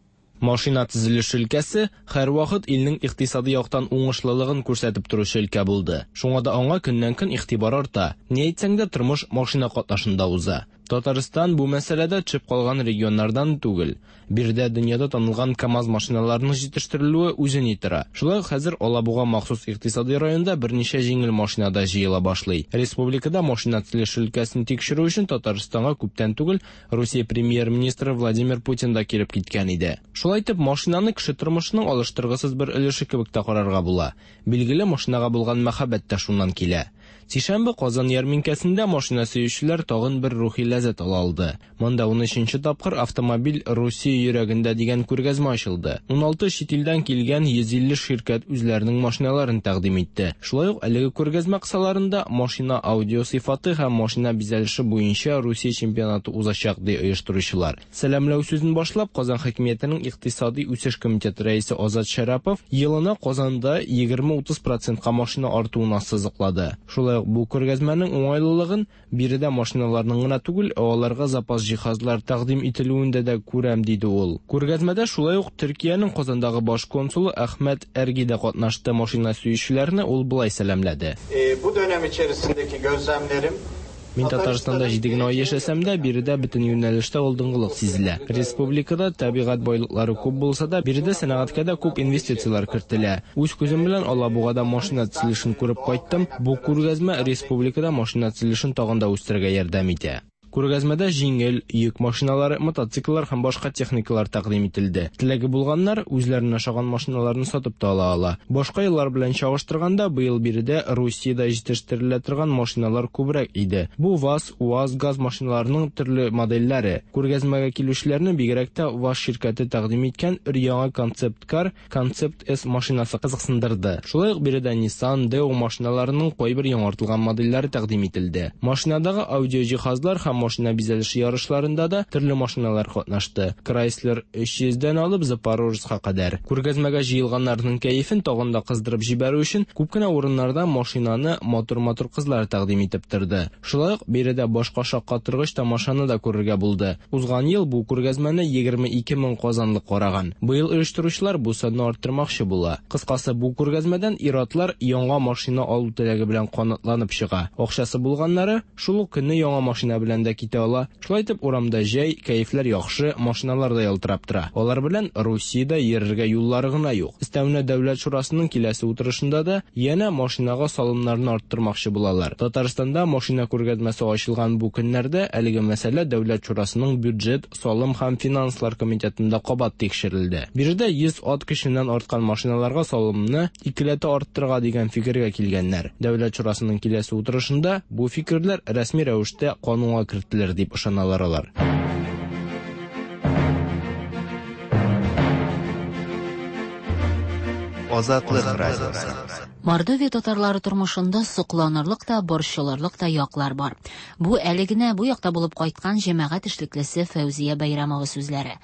Машина төзелеше өлкәсе һәрвакыт илнең икътисади яктан уңышлылыгын күрсәтеп торучы өлкә булды. Шуңа да аңа көннән-көн игътибар арта. Ни әйтсәң дә, тормыш машина катнашында уза. Татарстан бу мәсьәләдә төшеп калган регионнардан түгел. Биредә дөньяда танылган КАМАЗ машиналарының җитештерелүе үзе ни тора. Шулай ук хәзер Алабуга махсус икътисади районында берничә җиңел машина да җыела башлый. Республикада машина төзелеше өлкәсен тикшерү өчен Татарстанга күптән түгел Русия премьер-министры Владимир Путин да килеп киткән иде. Шулай итеп, машинаны кеше тормышының алыштыргысыз бер өлеше кебек тә карарга була. Билгеле, машинага булган мәхәббәт тә шуннан килә. Сишәмбе Казан ярминкәсендә машина сөючеләр тагын бер рухи ләззәт ала алды. Монда унөченче тапкыр автомобиль Русия йөрәгендә дигән күргәзмә ачылды. Уналты чит илдән килгән йөз илле ширкәт үзләренең машиналарын тәкъдим итте. Шулай ук әлеге күргәзмә кысаларында машина аудио сыйфаты һәм машина бизәлеше буенча Русия чемпионаты узачак, ди оештыручылар. Сәламләү сүзен башлап Казан хакимиятенең икътисади үсеш комитеты рәисе Азат Шәрапов елына Казанда егерме утыз процентка машина артуын ассызыклады. Шулай бу күргәзмәнең уңайлылыгын биредә машиналарның гына түгел, ә аларга запас җиһазлар тәкъдим ителүендә дә күрәм, диде ул. Күргәзмәдә шулай ук Төркиянең Казандагы баш консулы Әхмәт Әрги дә катнашты. Машина сөючеләрне ул болай сәламләде.
Бу dönem içerisindeki gözlemlerim
Мин Татарстанда җиде генә ай яшәсәм дә, биредә бөтен юнәлештә алдынгылык сизелә. Республикада табигать байлыклары күп булса да, биредә сәнәгатькә дә күп инвестицияләр кертелә. Үз күзем белән Алабугада машина төзелешен күреп кайттым. Бу күргәзмә республикада машина төзелешен тагын да үстерергә ярдәм итә. Күргәзмәдә җиңел, йөк машиналары, мотоцикллар һәм башка техникалар тәкъдим ителде. Теләге булганнар үзләренә ошаган машиналарны сатып та ала ала. Башка еллар белән чагыштырганда, быел биредә Русиядә җитештерелә торган машиналар күбрәк иде. Бу ВАЗ, УАЗ, ГАЗ машиналарының төрле модельләре. Күргәзмәгә килүчеләрне бигрәк тә ВАЗ ширкәте тәкъдим иткән өр-яңа концепт-кар, Концепт С машинасы кызыксындырды. Шулай ук биредә Nissan, Daewoo машиналарының кайбер яңартылган модельләре тәкъдим ителде. Машинадагы аудио җиһазлар һәм машина бизәлеше ярышларында да төрле машиналар катнашты. Chrysler өч йөздән алып Запорожецка кадәр. Күргәзмәгә җыелганнарның кәефен тагын да кыздырып җибәрү өчен күп кенә урыннарда машинаны матур-матур кызлар тәкъдим итеп торды. Шулай ук биредә башка шаккатыргыч тамашаны да күрергә булды. Узган ел бу күргәзмәне егерме ике мең казанлы караган. Быел оештыручылар бу санны арттырмакчы була. Кыскасы, бу күргәзмәдән ир-атлар яңа машина алу теләге белән канатланып чыга. Акчасы булганнары шул ук көнне яңа машина белән дә китә ала. Шулай итеп, урамда җәй, кәефләр яхшы, машиналар да ялтырап тора. Алар белән Русиядә йөрергә юллары гына юк. Өстәвенә Дәүләт шурасының киләсе утырышында да янә машинага салымнарны арттырмакчы булалар. Татарстанда машина күргәзмәсе ачылган бу көннәрдә әлеге мәсьәлә Дәүләт шурасының бюджет, салым һәм финанслар комитетында кабат тикшерелде. Биредә йөз ат көченнән арткан машиналарга салымны икеләтә арттырырга дигән фикергә килгәннәр. Дәүләт шурасының киләсе утырышында бу фикерләр рәсми рәвештә канунга кертелер дип ышаналар алар.
Азатлык радиосы.
Мордовия татарлары тормышында сокланырлык та, борчылырлык та яклар бар. Бу әле генә бу якта булып кайткан җәмәгать эшлеклесе Фәүзия Бәйрәмова сүзләре.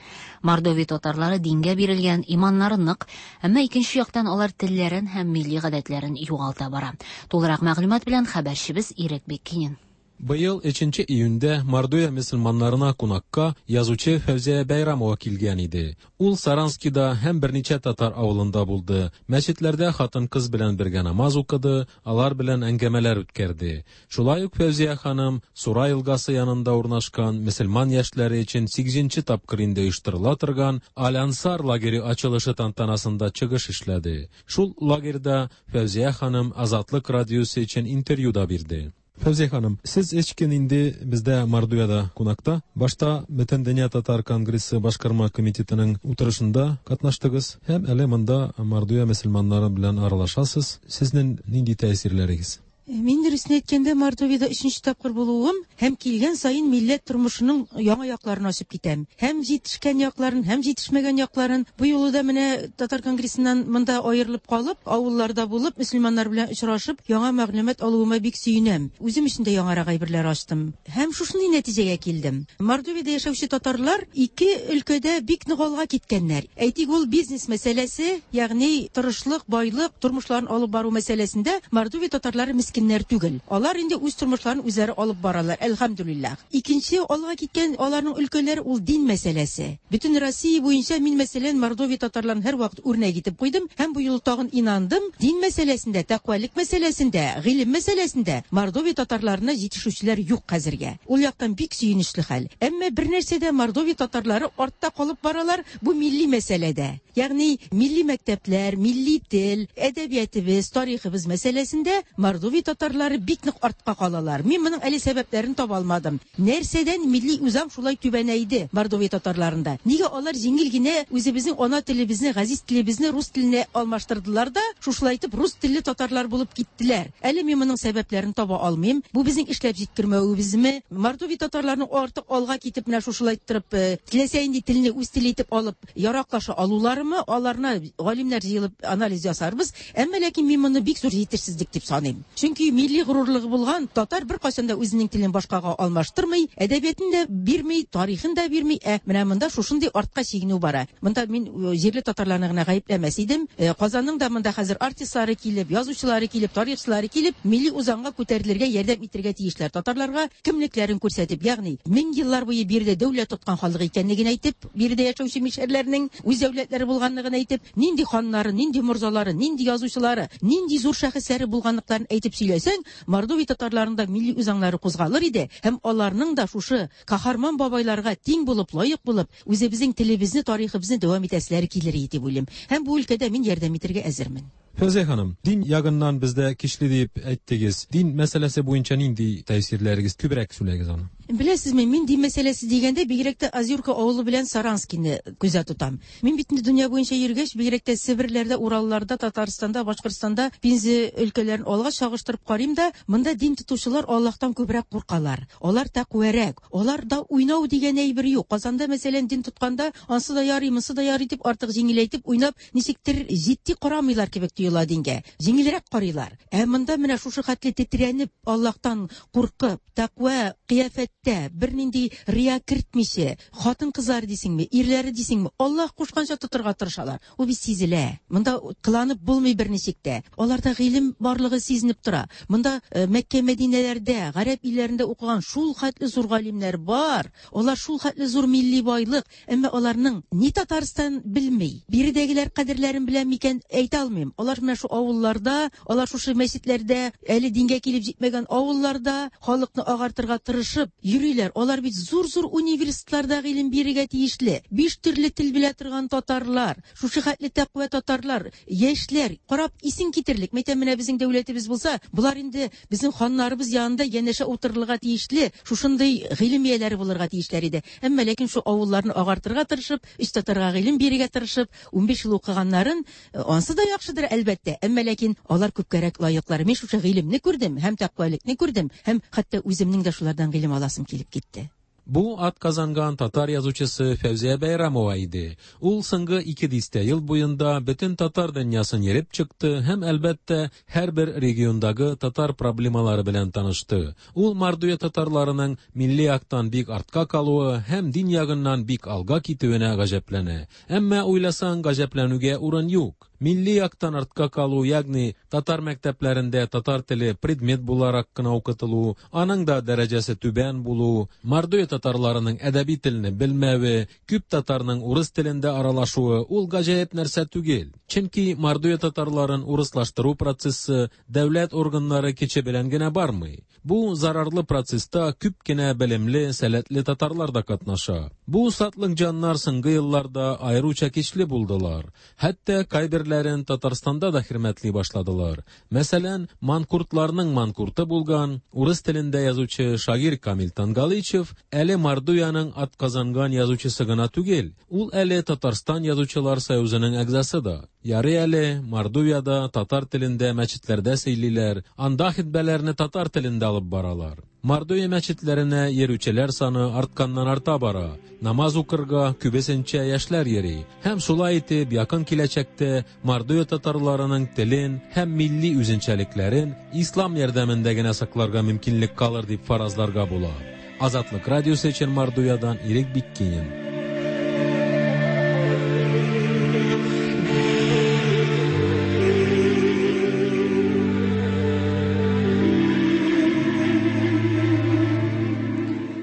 Мордовия татарлары дингә бирелгән, иманнары нык, әмма икенче яктан алар телләрен һәм милли гадәтләрен югалта бара. Тулырак мәгълүмат белән хәбәрчебез Ирек Беккинин.
Быел өченче июньдә Мордовия мөселманнарына кунакка язучы Фәүзия Бәйрәмова килгән иде. Ул Саранскида һәм берничә татар авылында булды. Мәчетләрдә хатын-кыз белән бергә намаз укыды, алар белән әңгәмәләр үткәрде. Шулай ук Фәүзия ханым Сура елгасы янында урнашкан мөселман яшьләре өчен сигезенче тапкыр инде оештырыла торган Аль-Ансар лагере ачылышы тантанасында чыгыш эшләде. Шул лагерьда Фәүзия ханым Азатлык радиосы өчен интервью да бирде. Фәүзия ханым, сез өч көн инде бездә Мордовиядә кунакта. Башта Бөтендөнья татар конгрессы башкарма комитетының утырышында катнаштыгыз һәм әле монда Мордовия мөселманнары белән аралашасыз. Сезнең нинди тәэсирләрегез?
Мин дөресен әйткәндә, Мордовиядә өченче тапкыр булуым һәм килгән саен милләт тормышының яңа якларын ачып китәм. Һәм җитешкән якларын, һәм җитешмәгән якларын. Бу юлы да менә Татар конгрессыннан монда аерылып калып, авылларда булып, мөселманнар белән очрашып, яңа мәгълүмат алуыма бик сөенәм. Үзем өчен дә яңарак әйберләр ачтым. Һәм шушындый нәтиҗәгә килдем. Мордовиядә яшәүче татарлар ике өлкәдә бик нык алга киткәннәр. Әйтик, ул бизнес мәсьәләсе, ягъни тырышлык, байлык, тормышларын алып бару мәсьәләсендә Мордовия татарлары мескеннәр түгел. Алар инде үз тормышларын үзләре алып баралар, әлхәмдүлилләһ. Икенче алга киткән аларның өлкәләре ул дин мәсьәләсе. Бөтен Россия буенча мин, мәсәлән, Мордовия татарларын һәрвакыт үрнәк итеп куйдым һәм бу юлы тагын инандым. Дин мәсьәләсендә, тәкъвалык мәсьәләсендә, гыйлем мәсьәләсендә Мордовия татарларына җитешүчеләр юк хәзергә. Ул яктан бик сөенечле хәл. Әмма бер нәрсәдә Мордовия татарлары артта калып баралар, бу милли мәсьәләдә. Ягъни милли мәктәпләр, милли тел, әдәбиятыбыз, тарихыбыз мәсьәләсендә Мордовия татарлары бик нык артка калалар. Мин моның әле сәбәпләрен таба алмадым. Нәрсәдән милли үзаң шулай түбәнәйде Мордовия татарларында? Нигә алар җиңел генә үзебезнең ана телебезне, газиз телебезне рус теленә алмаштырдылар да, шушылай итеп рус телле татарлар булып киттеләр? Әле мин моның сәбәпләрен таба алмыйм. Бу безнең эшләп җиткермәвебезме? Мордовия татарларының артык алга китеп менә шушылай иттереп, теләсә инде телне үз теле итеп алып яраклаша алуларымы? Аларны галимнәр җыелып анализ ясарбыз. Әмма ләкин мин моны бик зур җитешсезлек дип саныйм. Чөнки милли горурлыгы булган татар беркайчан да үзенең телен башкага алмаштырмый, әдәбиятын да бирми, тарихын да бирми. Ә менә монда шушындый артка чигенү бара. Монда мин җирле татарларны гына гаепләмәс идем. Казанның да монда хәзер артистлары килеп, язучылары килеп, тарихчылары килеп, милли үзаңга күтәрелергә ярдәм итәргә тиешләр. Татарларга кемлекләрен күрсәтеп, ягъни мең еллар буе биредә дәүләт тоткан халык икәнлеген әйтеп, биредә яшәүче мишәрләрнең үз дәүләтләре булганлыгын әйтеп, нинди ханнары, нинди морзалары, нинди язучылары, нинди зур шәхесләре булганлыкларын әйтеп сөйләсәң, Мордовия татарларында милли үзаңнары кузгалыр иде һәм аларның да шушы каһарман бабайларга тиң булып, лаек булып, үзебезнең телебезне, тарихыбызны дәвам итәселәре килер иде дип уйлыйм. Һәм бу өлкәдә мин ярдәм итәргә әзермен.
Фәүзия ханым, дин ягыннан бездә кичле дип әйттегез. Дин мәсьәләсе буенча нинди тәэсирләрегез, күбрәк сөйләгез аны?
Беләсезме, мин дин мәсьәләсе дигәндә бигрәк тә Азюрка авылы белән Саранскийны күздә тотам. Мин бит инде дөнья буенча йөргәч, бигрәк тә Себерләрдә, Уралларда, Татарстанда, Башкортстанда, Пенза өлкәләрен алга чагыштырып карыйм да, монда дин тотучылар Аллаһтан күбрәк куркалар. Алар тәкъвәрәк. Аларда уйнау дигән әйбер юк. Казанда, мәсәлән, дин тотканда, ансы да ярый, монсы да ярый дип артык җиңеләйтеп уйнап, ничектер җитди карамыйлар кебек тоела дингә. Җиңелрәк карыйлар. Ә монда менә шушы хәтле тетрәнеп, Аллаһтан куркып, тәкъва кыяфәттә, бернинди рия кертмичә, хатын-кызлар дисеңме, ирләре дисеңме, Аллаһ кушканча тотырга тырышалар. Ул бит сизелә. Монда кыланып булмый берничек тә. Аларда гыйлем барлыгы сизенеп тора. Монда Мәккә, Мәдинәләрдә, гарәп илләрендә укыган шул хәтле зур галимнәр бар. Алар шул хәтле зур милли байлык, әмма аларның ни Татарстан белми, биредәгеләр кадерләрен белә микән әйтә алмыйм. Алар менә шу авылларда, алар шушы мәчетләрдә, әле дингә килеп җитмәгән авылларда халыкны агартырга тырышып йөриләр. Алар бит зур-зур университетларда гыйлем бирергә тиешле. Биш төрле тел белә торган татарлар, шушы хәтле тәкъва татарлар, яшьләр, карап исең китерлек. Мәйтәм, менә безнең дәүләтебез булса, болар инде безнең ханнарыбыз янында янәшә утырырга тиешле, шушындый гыйлем ияләре булырга тиешләр иде. Әмма ләкин шу авылларны агартырга тырышып, өч татарга гыйлем бирергә тырышып, унбиш ел укыганнарын, ансы да яхшыдыр әлбәттә. Әмма ләкин алар күпкәрәк лаеклар. Мин шушы гыйлемне күрдем, һәм тәкъвалыкны күрдем, һәм хәтта үземнең дә шулардан гыйлем аласым килеп китте.
Бу атказанган татар язучысы Фәүзия Бәйрамова иде. Ул соңгы ике дистә ел буенда бөтен татар дөньясын йөреп чыкты һәм әлбәттә һәрбер региондагы татар проблемалары белән танышты. Ул Мордовия татарларының милли яктан бик артка калуы һәм дин ягыннан бик алга китүенә гаҗәпләнә. Әмма уйласаң, гаҗәпләнүгә урын юк. Милли яктан артка калу, ягъни татар мәктәпләрендә татар теле предмет буларак кына укытылу, аның да дәрәҗәсе түбән булу, Мордовия татарларының әдәби телне белмәве, күп татарның урыс телендә аралашуы ул гаҗәеп нәрсә түгел. Чөнки Мордовия татарларын урыслаштыру процессы дәүләт органнары кече белән генә бармый. Бу зарарлы процесста күп кенә белемле, сәләтле татарлар да катнаша. Бу сатлык җаннар соңгы елларда аеруча көчле булдылар. Хәтта кайбер фикерләрен Татарстанда да хөрмәтли башладылар. Мәсәлән, манкуртларның манкурты булган, урыс телендә язучы шагыйрь Камил Тангалычев әле Мордовиянең атказанган язучысы гына түгел, ул әле Татарстан язучылар союзының әгъзасы да. Ярый әле Мордовиядә татар телендә мәчетләрдә сөйлиләр, анда хитбәләрне татар телендә алып баралар. Мордовия мәчетләренә йөрүчеләр саны артканнан арта бара. Намаз укырга күбесенчә яшьләр йөри. Һәм шулай итеп, якын киләчәктә Мордовия татарларының телен һәм милли үзенчәлекләрен ислам ярдәмендә генә сакларга мөмкинлек калыр дип фаразларга була. Азатлык радиосы өчен Мордовиядан Ирек Биккинин.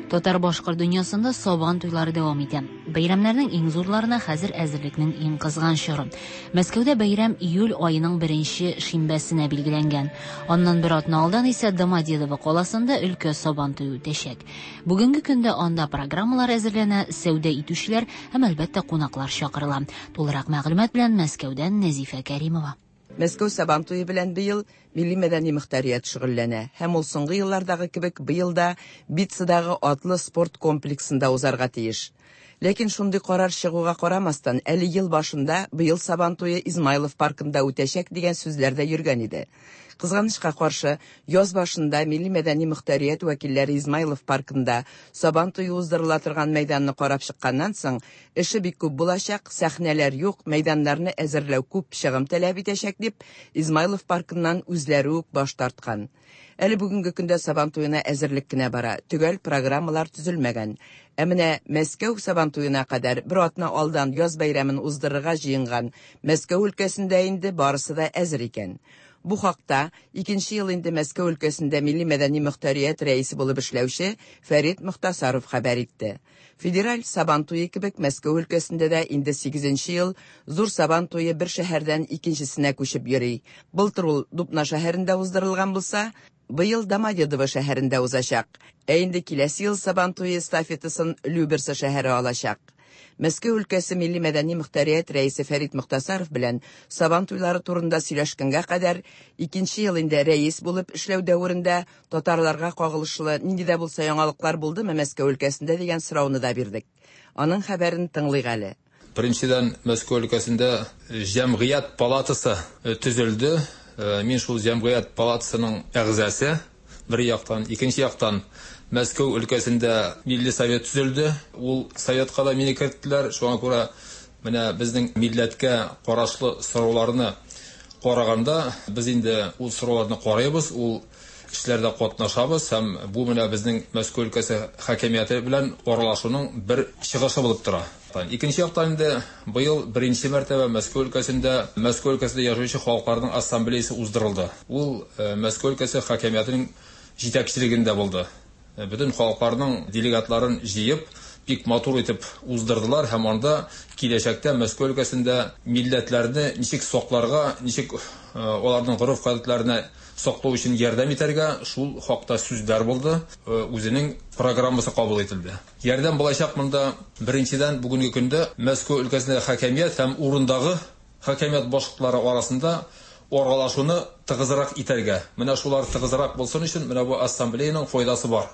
Татар-башкорт дөньясында Сабан туйлары дәвам итә. Бәйрәмнәрнең иң зурларына хәзер әзерлекнең иң кызган чоры. Мәскәүдә бәйрәм июль аеның беренче шимбәсенә билгеләнгән. Аннан бер атна алдан исә Домодедово каласында өлкә Сабан туе үтәчәк. Бүгенге көндә анда программалар әзерләнә, сәүдә итүчеләр һәм әлбәттә кунаклар чакырыла. Тулырак мәгълүмат белән Мәскәүдән Нәзифә Кәримова.
Мәскәү Сабан туе белән быел милли мәдәни мөхтәрият шөгыльләнә һәм ул соңгы еллардагы кебек быел да Битцадагы атлы спорт комплексында узарга тиеш. Ләкин шундый карар чыгуга карамастан, әле ел башында быел Сабан туе Измайлов паркында үтәчәк дигән сүзләр дә йөргән иде. Кызганычка каршы, яз башында милли мәдәни мөхтәрият вәкилләре Измайлов паркында Сабан туе уздырыла торган мәйданны карап чыкканнан соң, эше бик күп булачак, сәхнәләр юк, мәйданнарны әзерләү күп чыгым таләп итәчәк дип, Измайлов паркыннан үзләре үк баш тарткан. Әле бүгенге көндә Сабан туена әзерлек кенә бара, төгәл программалар төзелмәгән. Ә менә Мәскәү Сабан туена кадәр бер атна алдан яз бәйрәмен уздырырга җыенган Мәскәү өлкәсендә инде барысы да әзер икән. Бу хакта икенче ел инде Мәскәү өлкәсендә милли мәдәни мөхтәрият рәисе булып эшләүче Фәрит Мөхтасаров хәбәр итте. Федераль Сабан туе кебек Мәскәү өлкәсендә дә инде сигезенче ел зур Сабан туе бер шәһәрдән икенчесенә күчеп йөри. Былтыр ул Дубна шәһәрендә уздырылган булса, быел Домодедово шәһәрендә узачак. Ә инде киләсе ел Сабан туе эстафетасын Люберцы шәһәре алачак. Мәскәү өлкәсе милли мәдәни мөхтәрият рәисе Фәрит Мөхтасаров белән Сабан туйлары турында сөйләшкәнгә кадәр икенче ел инде рәис булып эшләү дәверендә татарларга кагылышлы нинди дә булса яңалыклар булдымы Мәскәү өлкәсендә дигән сорауны да бирдек. Аның хәбәрен тыңлыйк әле.
Беренчедән, Мәскәү өлкәсендә җәмгыять палатасы төзелде. Мин шул җәмгыять палатасының әгъзасы бер яктан, икенче яктан Мәскәү өлкәсендә милли совет төзелде. Ул советка да мине керттеләр. Шуңа күрә менә безнең милләткә карашлы сорауларны караганда без инде ул сорауларны карыйбыз, ул эшләрдә катнашабыз һәм бу менә безнең Мәскәү өлкәсе хакимияте белән аралашуның бер чыгышы булып тора. Икенче яктан инде быел беренче мәртәбә Мәскәү өлкәсендә Мәскәү өлкәсендә яшәүче халыкларның ассамблеясы уздырылды. Ул Мәскәү өлкәсе хакимиятенең җитәкчелегендә булды. Бөтен халыкларның делегатларын җыеп, бик матур итеп уздырдылар һәм анда киләчәктә Мәскәү өлкәсендә милләтләрне ничек сакларга, ничек аларның гореф-гадәтләренә саклау өчен ярдәм итәргә, шул хакта сүзләр булды, үзенең программасы кабул ителде. Ярдәм булачак монда беренчедән бүгенге көндә Мәскәү өлкәсендә хакимият һәм урындагы хакимият башлыклары арасында аралашуны тыгызрак итәргә. Менә шулар тыгызрак булсын өчен менә бу ассамблеяның файдасы бар.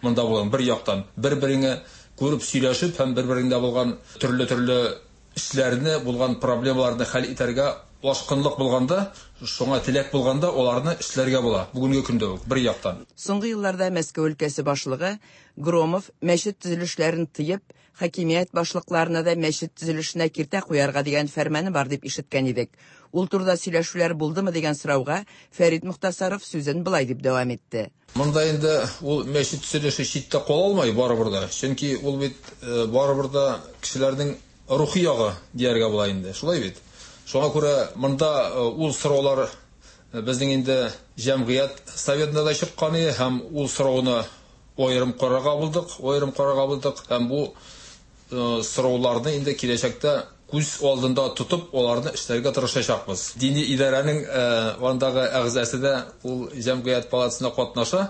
Монда булган бер яктан бер-береңә күреп сөйләшеп һәм бер-береңдә булган төрле-төрле эшләрне, булган проблемаларны хәл итәргә ашкынлык булганда, шуңа теләк булганда аларны эшләргә була. Бүгенге көндә үк бер яктан.
Соңгы елларда Мәскәү өлкәсе башлыгы Громов мәчет төзелешләрен тыеп, хакимият башлыкларына да мәчет төзелешенә киртә куярга дигән фәрманы бар дип ишеткән идек. Ул турыда сөйләшүләр булдымы дигән сорауга Фәрит Мөхтасаров сүзен былай дип дәвам итте.
Монда инде ул мәчет төзелеше читтә кала алмый барыбер дә. Чөнки ул бит барыбер дә кешеләрнең рухи ягы дияргә була инде. Шулай бит. Шуңа күрә монда ул сораулар безнең инде җәмгыять советында да чыккан иде һәм ул сорауны аерым карарга булдык, аерым карарга булдык һәм бу сорауларны инде киләчәктә күз алдында тотып, аларны эшләргә тырышачакбыз. Дини идарәнең андагы әгъзасы да ул җәмгыять палатасында катнаша.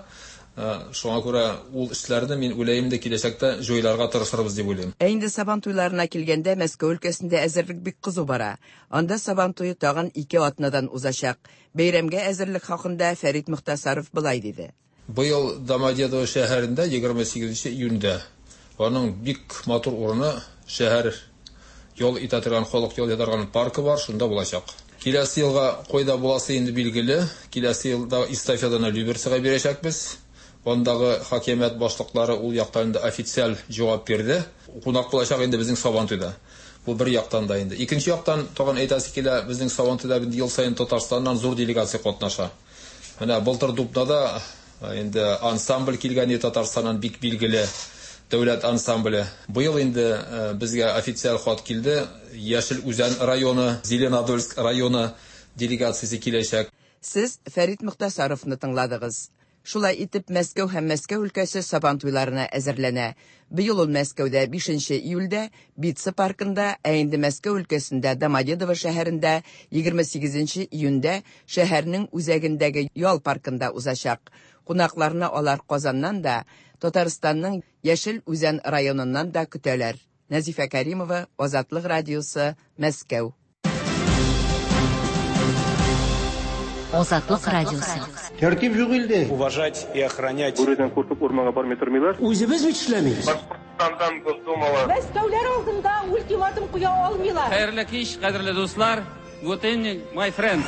Шуңа күрә ул эшләрне мин уйлыйм да киләчәктә җайларга тырышырбыз дип уйлыйм.
Ә инде Сабан туйларына килгәндә, Мәскәү өлкәсендә әзерлек бик кызу бара. Анда Сабан туе тагын ике атнадан узачак. Бәйрәмгә әзерлек хакында Фәрит Мөхтәсаров былай диде.
Быел Домодедово шәһәрендә егерме сигезенче июньдә аның бик матур урыны шәһәр ял итә торган, халык ял итә торган паркы бар, шунда булачак. Киләсе елга кайда буласы инде билгеле. Киләсе елда эстафетаны Люберцега бирәчәкбез. Андагы хакимият башлыклары ул яктан инде официаль җавап бирде. Кунак булачак инде безнең Сабантуйда. Бу бер яктан да инде. Икенче яктан тагын әйтәсе килә, безнең Сабантуйда инде ел саен Татарстаннан зур делегация катнаша. Менә былтыр Дубнада инде ансамбль килгән иде Татарстаннан, бик билгеле дәүләт ансамбле. Быел инде безгә официаль хат килде. Яшел Үзән районы, Зеленодольск районы делегациясе киләчәк.
Сез Фәрит Мөхтәсаровны тыңладыгыз. Шулай итеп, Мәскәү һәм Мәскәү өлкәсе Сабан туйларына әзерләнә. Быел ул Мәскәүдә бишенче июльдә Битца паркында, ә инде Мәскәү өлкәсендә Домодедово шәһәрендә егерме сигезенче июньдә шәһәрнең үзәгендәге ял паркында узачак. Кунакларны алар Казаннан да, Татарстанның Яшел Үзән районыннан да көтәләр. Нәзифә Кәримова, Азатлык радиосы, Мәскәү.
Азатлык радиосы.
Тәртип юк илдә.
Уважать и охранять.
Бүредән куркып урманга бармый тормыйлар.
Үзебез бит эшләмибез.
Башкортстандан Госдумала.
Мәскәүләр алдында ультиматум куя алмыйлар.
Хәерле кич, кадерле дуслар. Good evening, my friends.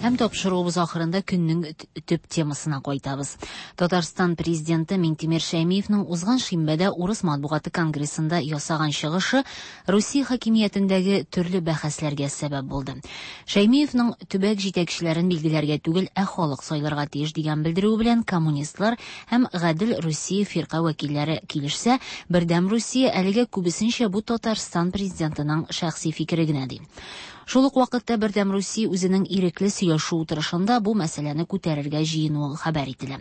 Һәм тапшыруыбыз ахырында көннең төп темасына кайтабыз. Татарстан президенты Минтимер Шәймиевның узган шимбәдә Урыс матбугаты конгрессында ясаган чыгышы Русия хакимиятендәге төрле бәхәсләргә сәбәп булды. Шәймиевның төбәк җитәкчеләрен билгеләргә түгел, ә халык сайларга тиеш дигән белдерүе белән коммунистлар һәм Гадел Русия фирка вәкилләре килешсә, Бердәм Русия әлегә күбесенчә бу Татарстан президентының шәхси фикере генә ди. Шул ук вакытта Бердәм Русия үзенең ирекле сөйләшү утырышында бу мәсьәләне күтәрергә җыенуы хәбәр ителә.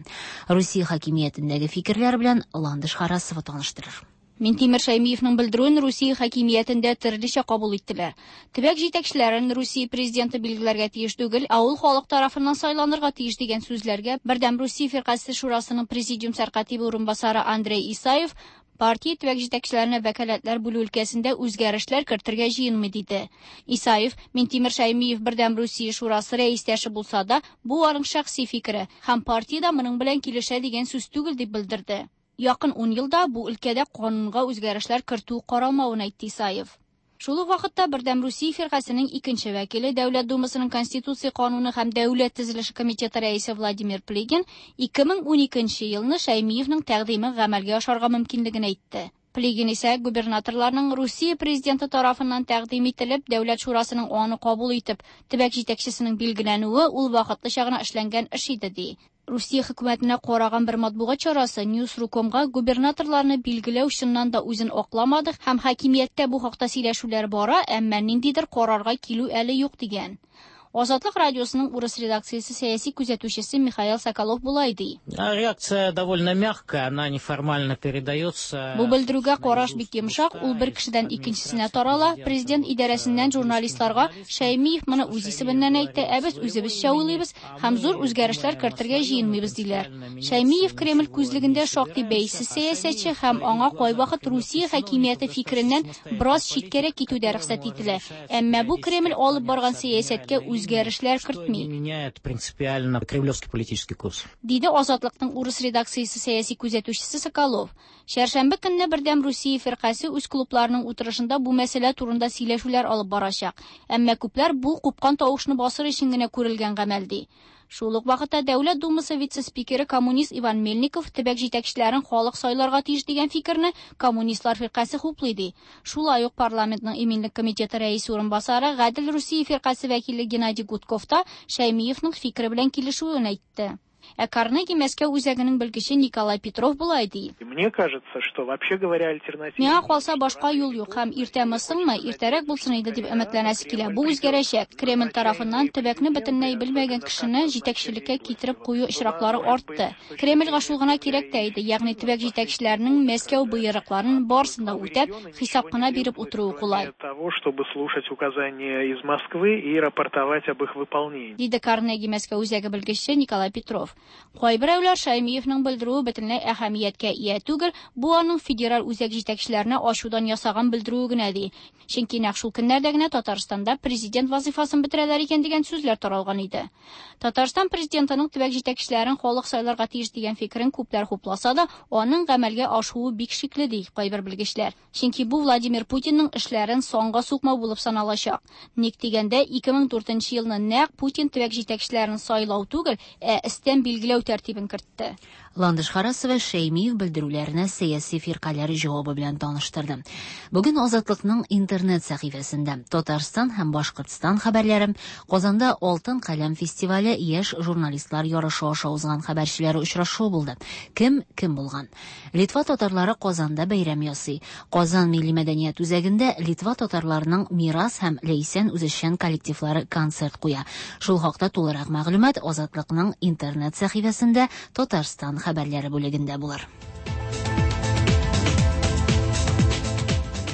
Русия хакимиятендәге фикерләр белән Ландыш Харасова таныштырыр.
Минтимер Шәймиевның белдерүен Русия хакимиятендә төрлечә кабул иттеләр. Төбәк җитәкчеләрен Русия президенты билгеләргә тиеш түгел, ә ул халык тарафыннан сайланырга тиеш дигән сүзләргә Бердәм Русия фиркасе шурасының президиум сәркатибе урынбасары Андрей Исаев партия төбәк җитәкчеләренә вәкаләтләр бүлү өлкәсендә үзгәрешләр кертергә җыенмый диде. Исаев Минтимер Шәймиев Бердәм Русия шурасы рәистәше булса да, бу аның шәхси фикере һәм партия да моның белән килешә дигән сүз түгел дип белдерде. Якын ун елда бу өлкәдә канунга үзгәрешләр кертү каралмавын әйтте Исаев. Шул ук вакытта Бердәм Русия фиркасының икенче вәкиле, Дәүләт Думасының Конституция кануны һәм Дәүләт төзелеше комитеты рәисе Владимир Плигин ике мең уникенче елны Шәймиевның тәкъдиме гамәлгә ашарга мөмкинлеген әйтте. Плигин исә губернаторларның Русия президенты тарафыннан тәкъдим ителеп, Дәүләт шурасының аны кабул итеп, төбәк җитәкчесенең билгеләнүе ул вакытлыча гына эшләнгән эш иде ди. Русия хөкүмәтенә караган бер матбугат чарасы News.ru.comга губернаторларны билгеләү чыннан да үзен акламады һәм хакимияттә бу хакта сөйләшүләр бара, әмма ниндидер карарга килү әле юк дигән. Азатлык радиосының урыс редакциясе сәяси күзәтүчесе Михаил Соколов булай ди.
Реакция довольно мягкая, она неформально передается.
Бу белдерүгә караш бик йомшак, ул бер кешедән икенчесенә тарала. Президент идарәсеннән журналистларга Шәймиев моны үз исеменнән әйтте, ә без үзебезчә уйлыйбыз һәм зур үзгәрешләр кертергә җыенмыйбыз диләр. Шәймиев Кремль күзлегендә шактый бәйсез сәясәтче һәм аңа кайвакыт Русия хакимияте фикереннән бераз читкәрәк китү дә рөхсәт ителә. Әмма бу Кремль алып барган сәясәткә үз үзгәрешләр кертми.
Меняет принципиально кремлевский политический курс.
Диде Азатлыкның урыс редакциясе сәяси күзәтүчесе Соколов. Чәршәмбе көнне Бердәм Русия фиркасе үз клубларының утырышында бу мәсьәлә турында сөйләшүләр алып барачак. Әмма күпләр бу купкан тавышны басыр өчен генә күрелгән гамәл ди. Шул ук вакытта Дәүләт Думасы вице-спикеры коммунист Иван Мельников төбәк җитәкчеләрен халык сайларга тиеш дигән фикерне коммунистлар фиркасе хуплый ди. Шулай ук парламентның иминлек комитеты рәисе урынбасары Гадел Русия фиркасе вәкиле Геннадий Гудков та Шәймиевның фикере белән килешүен әйтте. Ә Карнеги Мәскәү үзәгенең белгече Николай Петров болай ди.
Мне кажется, что вообще говоря, альтернатива...
Миңа калса башка юл юк һәм иртәме-соңмы, иртәрәк булсын иде дип өметләнәсе килә. Бу үзгәрәчәк. Кремль тарафыннан төбәкне бөтенләй белмәгән кешене җитәкчелеккә китереп кую очраклары артты. Кремльгә шул гына кирәк тә иде, ягъни төбәк җитәкчеләренең Мәскәү боерыкларын барысын да үтәп, хисап кына биреп утыруы кулай.
Того, чтобы слушать указания из Москвы и рапортовать об их выполнении.
Диде Карнеги Мәскәү үзәге белгече Николай Петров. Кайберәүләр Шаймиевның белдерүе бөтенләй әһәмияткә ия түгел, бу аның федераль үзәк җитәкчеләренә ачудан ясаган белдерүе генә ди. Чөнки нәкъ шул көннәрдә генә Татарстанда президент вазифасын бетерәләр икән дигән сүзләр таралган иде. Татарстан президентының төбәк җитәкчеләрен халык сайларга тиеш дигән фикерен күпләр хупласа да, аның гамәлгә ашуы бик шикле ди кайбер белгечләр. Чөнки бу Владимир Путинның эшләрен санга сукмау булып саналачак. Ник дигәндә, ике мең дүртенче елны нәкъ Путин төбәк җитәкчеләрен сайлау түгел, ә өстән билгеләү тәртибен кертте.
Ландыш Харасова Шәймиев белдерүләренә сәяси фиркаләр җавабы белән таныштырды. Бүген Азатлыкның интернет сәхифәсендә Татарстан һәм Башкортстан хәбәрләре, Казанда Алтын каләм фестивале яшь журналистлар ярышы аша узган хәбәрчеләре очрашуы булды. Кем кем булган? Литва татарлары Казанда бәйрәм ясый. Казан милли мәдәният үзәгендә Литва татарларының Мирас һәм Ләйсән үзешчән коллективлары концерт куя. Шул хакта тулырак мәгълүмат Азатлыкның интернет сәхифәсендә Татарстан хәбәрләре бүлегендә булыр.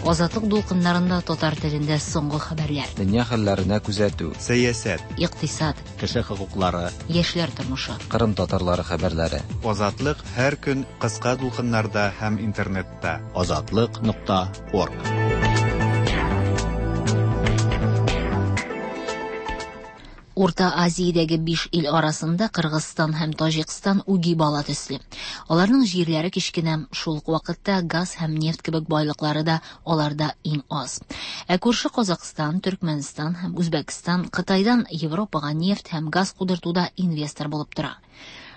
Азатлык дулкыннарында татар телендә соңгы хәбәрләр.
Дөнья хәлләренә күзәтү, сәясәт,
икътисад,
кеше хокуклары,
яшьләр тормышы,
Кырым татарлары хәбәрләре. Азатлык һәр көн кыска дулкыннарда һәм интернетта.
Азатлык нокта орг.
Урта Азиядәге биш ил арасында Кыргызстан һәм Таҗикстан үги бала төсле. Аларның җирләре кечкенә, шул ук вакытта газ һәм нефть кебек байлыклары да аларда иң аз. Ә күрше Казакъстан, Төркмәнстан һәм Үзбәкстан Кытайдан Европага нефть һәм газ кудыртуда инвестор булып тора.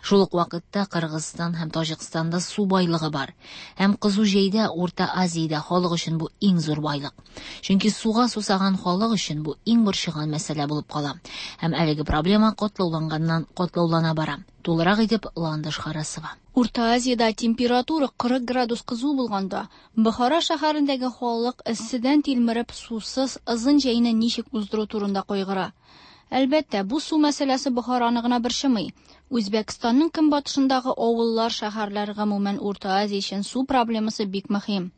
Шул ук вакытта Кыргызстан һәм Таҗикстанда су байлыгы бар. Һәм кызу җәйдә Урта Азиядә халык өчен бу иң зур байлык. Чөнки суга сусаган халык өчен бу иң борчыган мәсьәлә булып кала. Һәм әлеге проблема катлауланганнан катлаулана бара. Тулырак итеп Ландыш Харасова.
Урта Азиядә температура кырык градус кызу булганда, Бохара шәһәрендәге халык эсседән тилмереп сусыз озын җәйне ничек уздыру турында кайгыра. Әлбәттә, бу су мәсьәләсе Бохараны гына борчымый. Үзбәкстанның көнбатышындагы авыллар, шәһәрләр, гомумән Урта Азия өчен су проблемасы бик мөһим.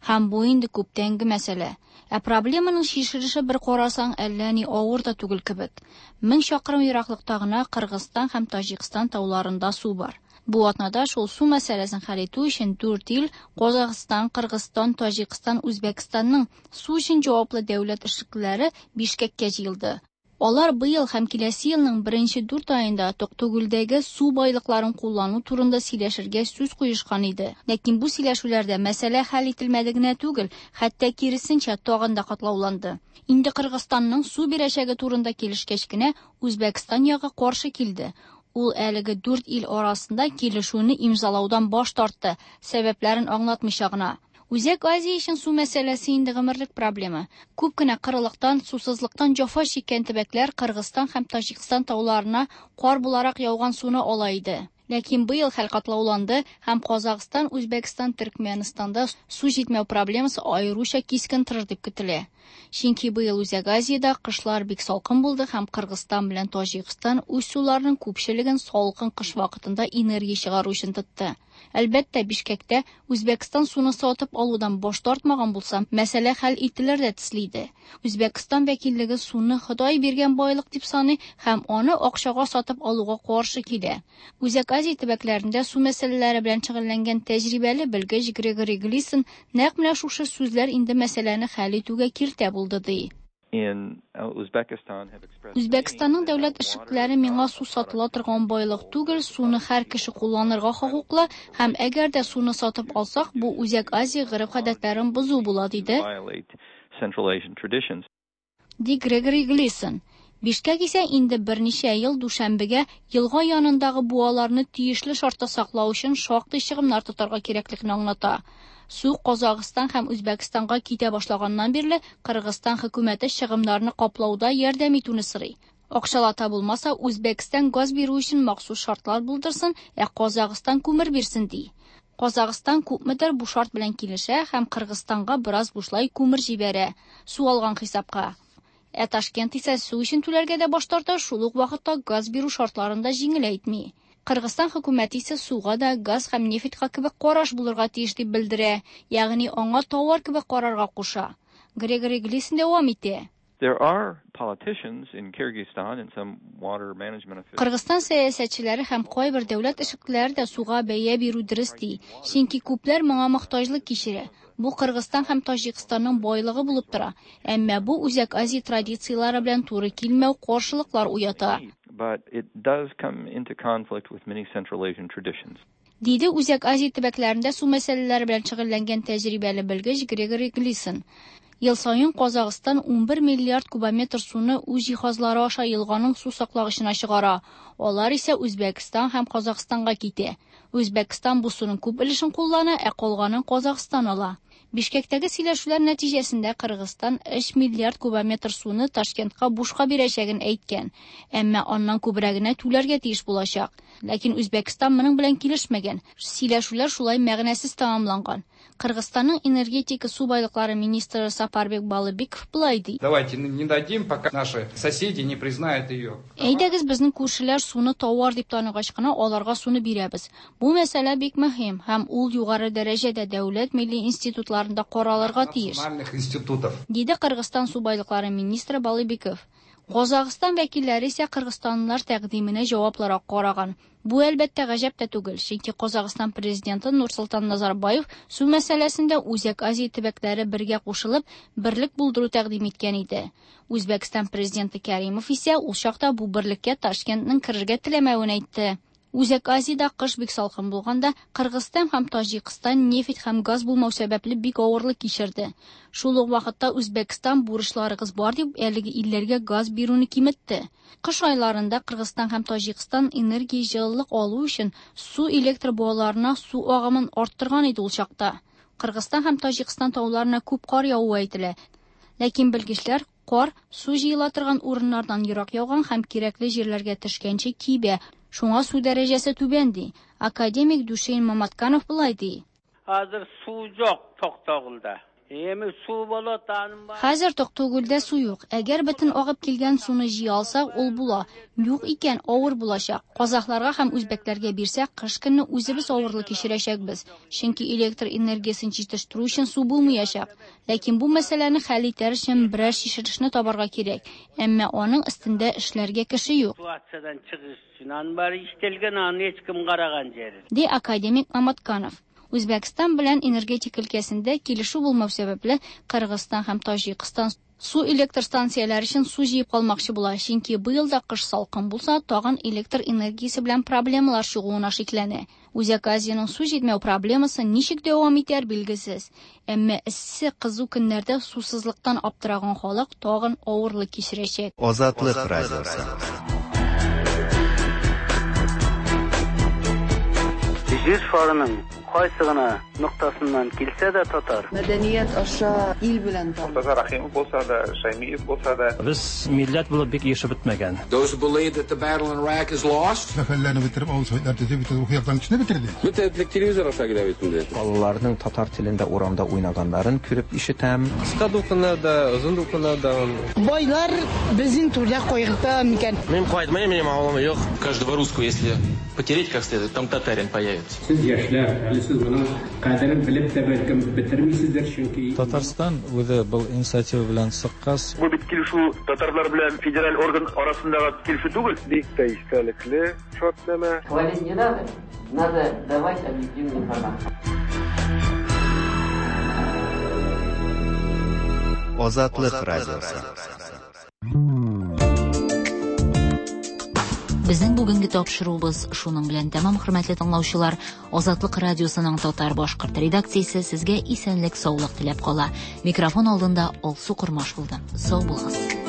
Һәм бу инде күптәнге мәсьәлә. Ә проблеманың чишелеше бер карасаң әллә ни авыр да түгел кебек. Мең чакрым ераклыкта гына Кыргызстан һәм Таҗикстан тауларында су бар. Бу атнада шул су мәсьәләсен хәл итү өчен дүрт ил Казахстан, Кыргызстан, Таҗикстан, Үзбәкстанның су өчен җаваплы дәүләт эшлеклеләре Бишкеккә җыелды. Алар быел һәм киләсе елның беренче дүрт аенда Токтогүлдәге су байлыкларын куллану турында сөйләшергә сүз куешкан иде. Ләкин бу сөйләшүләрдә мәсьәлә хәл ителмәде генә түгел, хәтта киресенчә тагын да катлауланды. Инде Кыргызстанның су бирәчәге турында килешкәч кенә Үзбәкстан ягы каршы килде. Ул әлеге дүрт ил арасында килешүне имзалаудан баш тартты, сәбәпләрен аңлатмыйча гына. Үзәк Азия өчен су мәсьәләсе инде гомерлек проблема. Күп кенә кырылыктан, сусызлыктан җәфа чиккән төбәкләр Кыргызстан һәм Таҗикстан тауларына кар буларак яуган суны ала иде. Ләкин быел хәл катлауланды һәм Казахстан, Үзбәкстан, Төркмәнстанда су җитмәү проблемасы аеруча кискен торыр дип көтелә. Чөнки быел Үзәк Азиядә кышлар бик салкын булды һәм Кыргызстан белән Таҗикстан үз суларының күпчелеген салкын кыш вакытында энергия чыгару өчен тотты. Әлбәттә, Бишкектә Үзбәкстан суны сатып алудан баш тартмаган булса, мәсьәлә хәл ителер дә төсле иде. Үзбәкстан вәкиллеге суны Ходай биргән байлык дип саный һәм аны акчага сатып алуга каршы килә. Үзәк Азия төбәкләрендә су мәсьәләләре белән шөгыльләнгән тәҗрибәле белгеч Грегори Глисон нәкъ менә шушы сүзләр инде мәсьәләне хәл итүгә киртә булды ди. Үзбәкстанның дәүләт эшлеклеләре миңа су сатыла торган байлык түгел, суны һәр кеше кулланырга хокуклы һәм әгәр дә суны сатып алсак, бу Үзәк Азия гореф-гадәтләрен бозу була, диде. Ди Грегори Глисон. Бишкек исә инде берничә ел дүшәмбегә елга янындагы буаларны тиешле шартта саклау өчен шактый чыгымнар тотарга кирәклекне аңлата. Су Казахстан һәм Үзбәкстанга китә башлаганнан бирле Кыргызстан хөкүмәте чыгымнарны каплауда ярдәм итүне сорый. Акчалата булмаса, Үзбәкстан газ бирү өчен махсус шартлар булдырсын, ә Казахстан күмер бирсен ди. Казахстан күпмедер бу шарт белән килешә һәм Кыргызстанга бераз бушлай күмер җибәрә, су алган хисапка. Ә Ташкент исә су өчен түләргә дә баш тарта, шул ук вакытта газ бирү шартларын да җиңеләйтми. Кыргызстан хөкүмәте исә суга да газ һәм нефтька кебек караш булырга тиеш дип белдерә, ягъни аңа товар кебек карарга куша. Грегори Глисон дәвам итә.
There are politicians in Kyrgyzstan and some water management officials.
Кыргызстан сәясәтчеләре һәм кайбер дәүләт эшлеклеләре дә суга бәя бирү дөрес ди, чөнки күпләр моңа мохтаҗлык кичерә. Бу Кыргызстан һәм Таҗикстанның байлыгы булып тора, әмма бу Үзәк Азия традицияләре белән туры килмәү каршылыклар уята.
But it does come into conflict with many Central Asian traditions.
Диде Үзәк Азия төбәкләрендә су мәсьәләләре белән шөгыльләнгән тәҗрибәле белгеч Грегори Глисон. Ел саен Казахстан унбер миллиард кубометр суны үз җиһазлары аша елганың су саклагычына чыгара. Алар исә Үзбәкстан һәм Казахстанга китә. Үзбәкстан бу суның күп өлешен куллана, ә калганын Казахстан ала. Бишкектәге сөйләшүләр нәтиҗәсендә Кыргызстан өч миллиард кубометр суны Ташкентка бушка бирәчәген әйткән, әмма аннан күбрәгенә түләргә тиеш булачак. Ләкин Үзбәкстан моның белән килешмәгән. Сөйләшүләр шулай мәгънәсез тәмамланган. Кыргызстанның энергетика су байлыклары министры Сапарбек Балыбеков былай ди.
Давайте не дадим, пока наши соседи не признают ее.
Әйдәгез, безнең күршеләр суны товар дип таныгач кына аларга суны бирәбез. Бу мәсьәлә бик мөһим һәм ул югары дәрәҗәдә дәүләт милли институтларында каралырга тиеш. Диде Кыргызстан су байлыклары министры Балыбеков. Казахстан вәкилләре исә кыргызстанлылар тәкъдименә җаваплырак караган. Бу әлбәттә гаҗәп тә түгел, чөнки Казахстан президенты Нурсултан Назарбаев су мәсьәләсендә Үзәк Азия төбәкләре бергә кушылып, берлек булдыру тәкъдим иткән иде. Үзбәкстан президенты Кәримов исә ул чакта бу берлеккә Ташкентның керергә теләмәвен әйтте. Үзәк Азиядә кыш бик салкын булганда, Кыргызстан һәм Таҗикстан нефть һәм газ булмау сәбәпле бик авырлык кичерде. Шул ук вакытта Үзбәкстан бурычларыгыз бар дип әлеге илләргә газ бирүне киметте. Кыш айларында Кыргызстан һәм Таҗикстан энергия җылылык алу өчен су электр буаларына су агымын арттырган иде ул чакта. Кыргызстан һәм Таҗикстан тауларына күп кар явуы әйтелә. Ләкин белгечләр кар су җыела торган урыннардан ерак яуган һәм кирәкле җирләргә төшкәнче кибә. Шуңа су дәрәҗәсе түбән ди. Академик Душейн Маматканов былай ди.
Хәзер су юк Токтогулда. Эми су болот анын бар.
Хәзер Токтогулда су юк. Әгәр бөтен агып килгән суны җыя алсак, ул була. Юк икән, авыр булачак. Казахларга һәм үзбәкләргә бирсәк, кыш көнне үзебез авырлык кичерәчәкбез. Чөнки электр энергиясен җитештерү өчен су булмаячак. Ләкин бу мәсьәләне хәл итәр өчен берәр чишелешне табарга кирәк. Әмма аның өстендә эшләргә кеше юк. Ди академик Маматканов. Үзбәкстан белән энергетика өлкәсендә килешү булмау сәбәпле Кыргызстан һәм Таҗикстан су электр станцияләре өчен су җыеп калмакчы була, чөнки быел да кыш салкын булса, тагын электр энергиясе белән проблемалар чыгуына шикләнә. Үзәк Азиянең су җитмәү проблемасы ничек дәвам итәр билгесез. Әмма эссе кызу көннәрдә сусызлыктан аптыраган халык тагын авырлык кичерәчәк.
Азатлык радиосы.
Җир шарының кайсы гына ноктасыннан килсә дә татар.
Мәдәният аша ил белән таныш.
Муртаза Рахимов булса да, Шаймиев булса да.
Без милләт булып бик яшәп бетмәгән.
Those who believe that the battle in Iraq is lost.
Мәхәлләне бетереп, авыл советлар төзеп, бөтен рухи яктан кешене бетерде.
Бөтен телевизор аша килә бит инде.
Балаларның татар телендә урамда уйнаганнарын күреп ишетәм.
Кыска дулкыннарда, озын дулкыннарда.
Байлар безнең түрдә кайгырта микән?
Мин кайтмыйм, минем авылым юк.
Каждого русского, если потереть как следует, там татарин появится.
Сез яшьләр, әле сез моның кадерен белеп тә бәлкем бетермисездер, чөнки
Татарстан үзе был инициатива белән чыккач.
Бу бит килешү татарлар белән федераль орган арасындагы килешү түгел.
Бик тә истәлекле шартнамә.
Хвалить не надо, надо давать объективную информацию.
Азатлык радиосы.
Безнең бүгенге тапшыруыбыз шуның белән тәмам, хөрмәтле тыңлаучылар. Азатлык радиосының татар башкорт редакциясе сезгә исәнлек, саулык теләп кала. Микрофон алдында Алсу Кормаш булды. Сау булыгыз.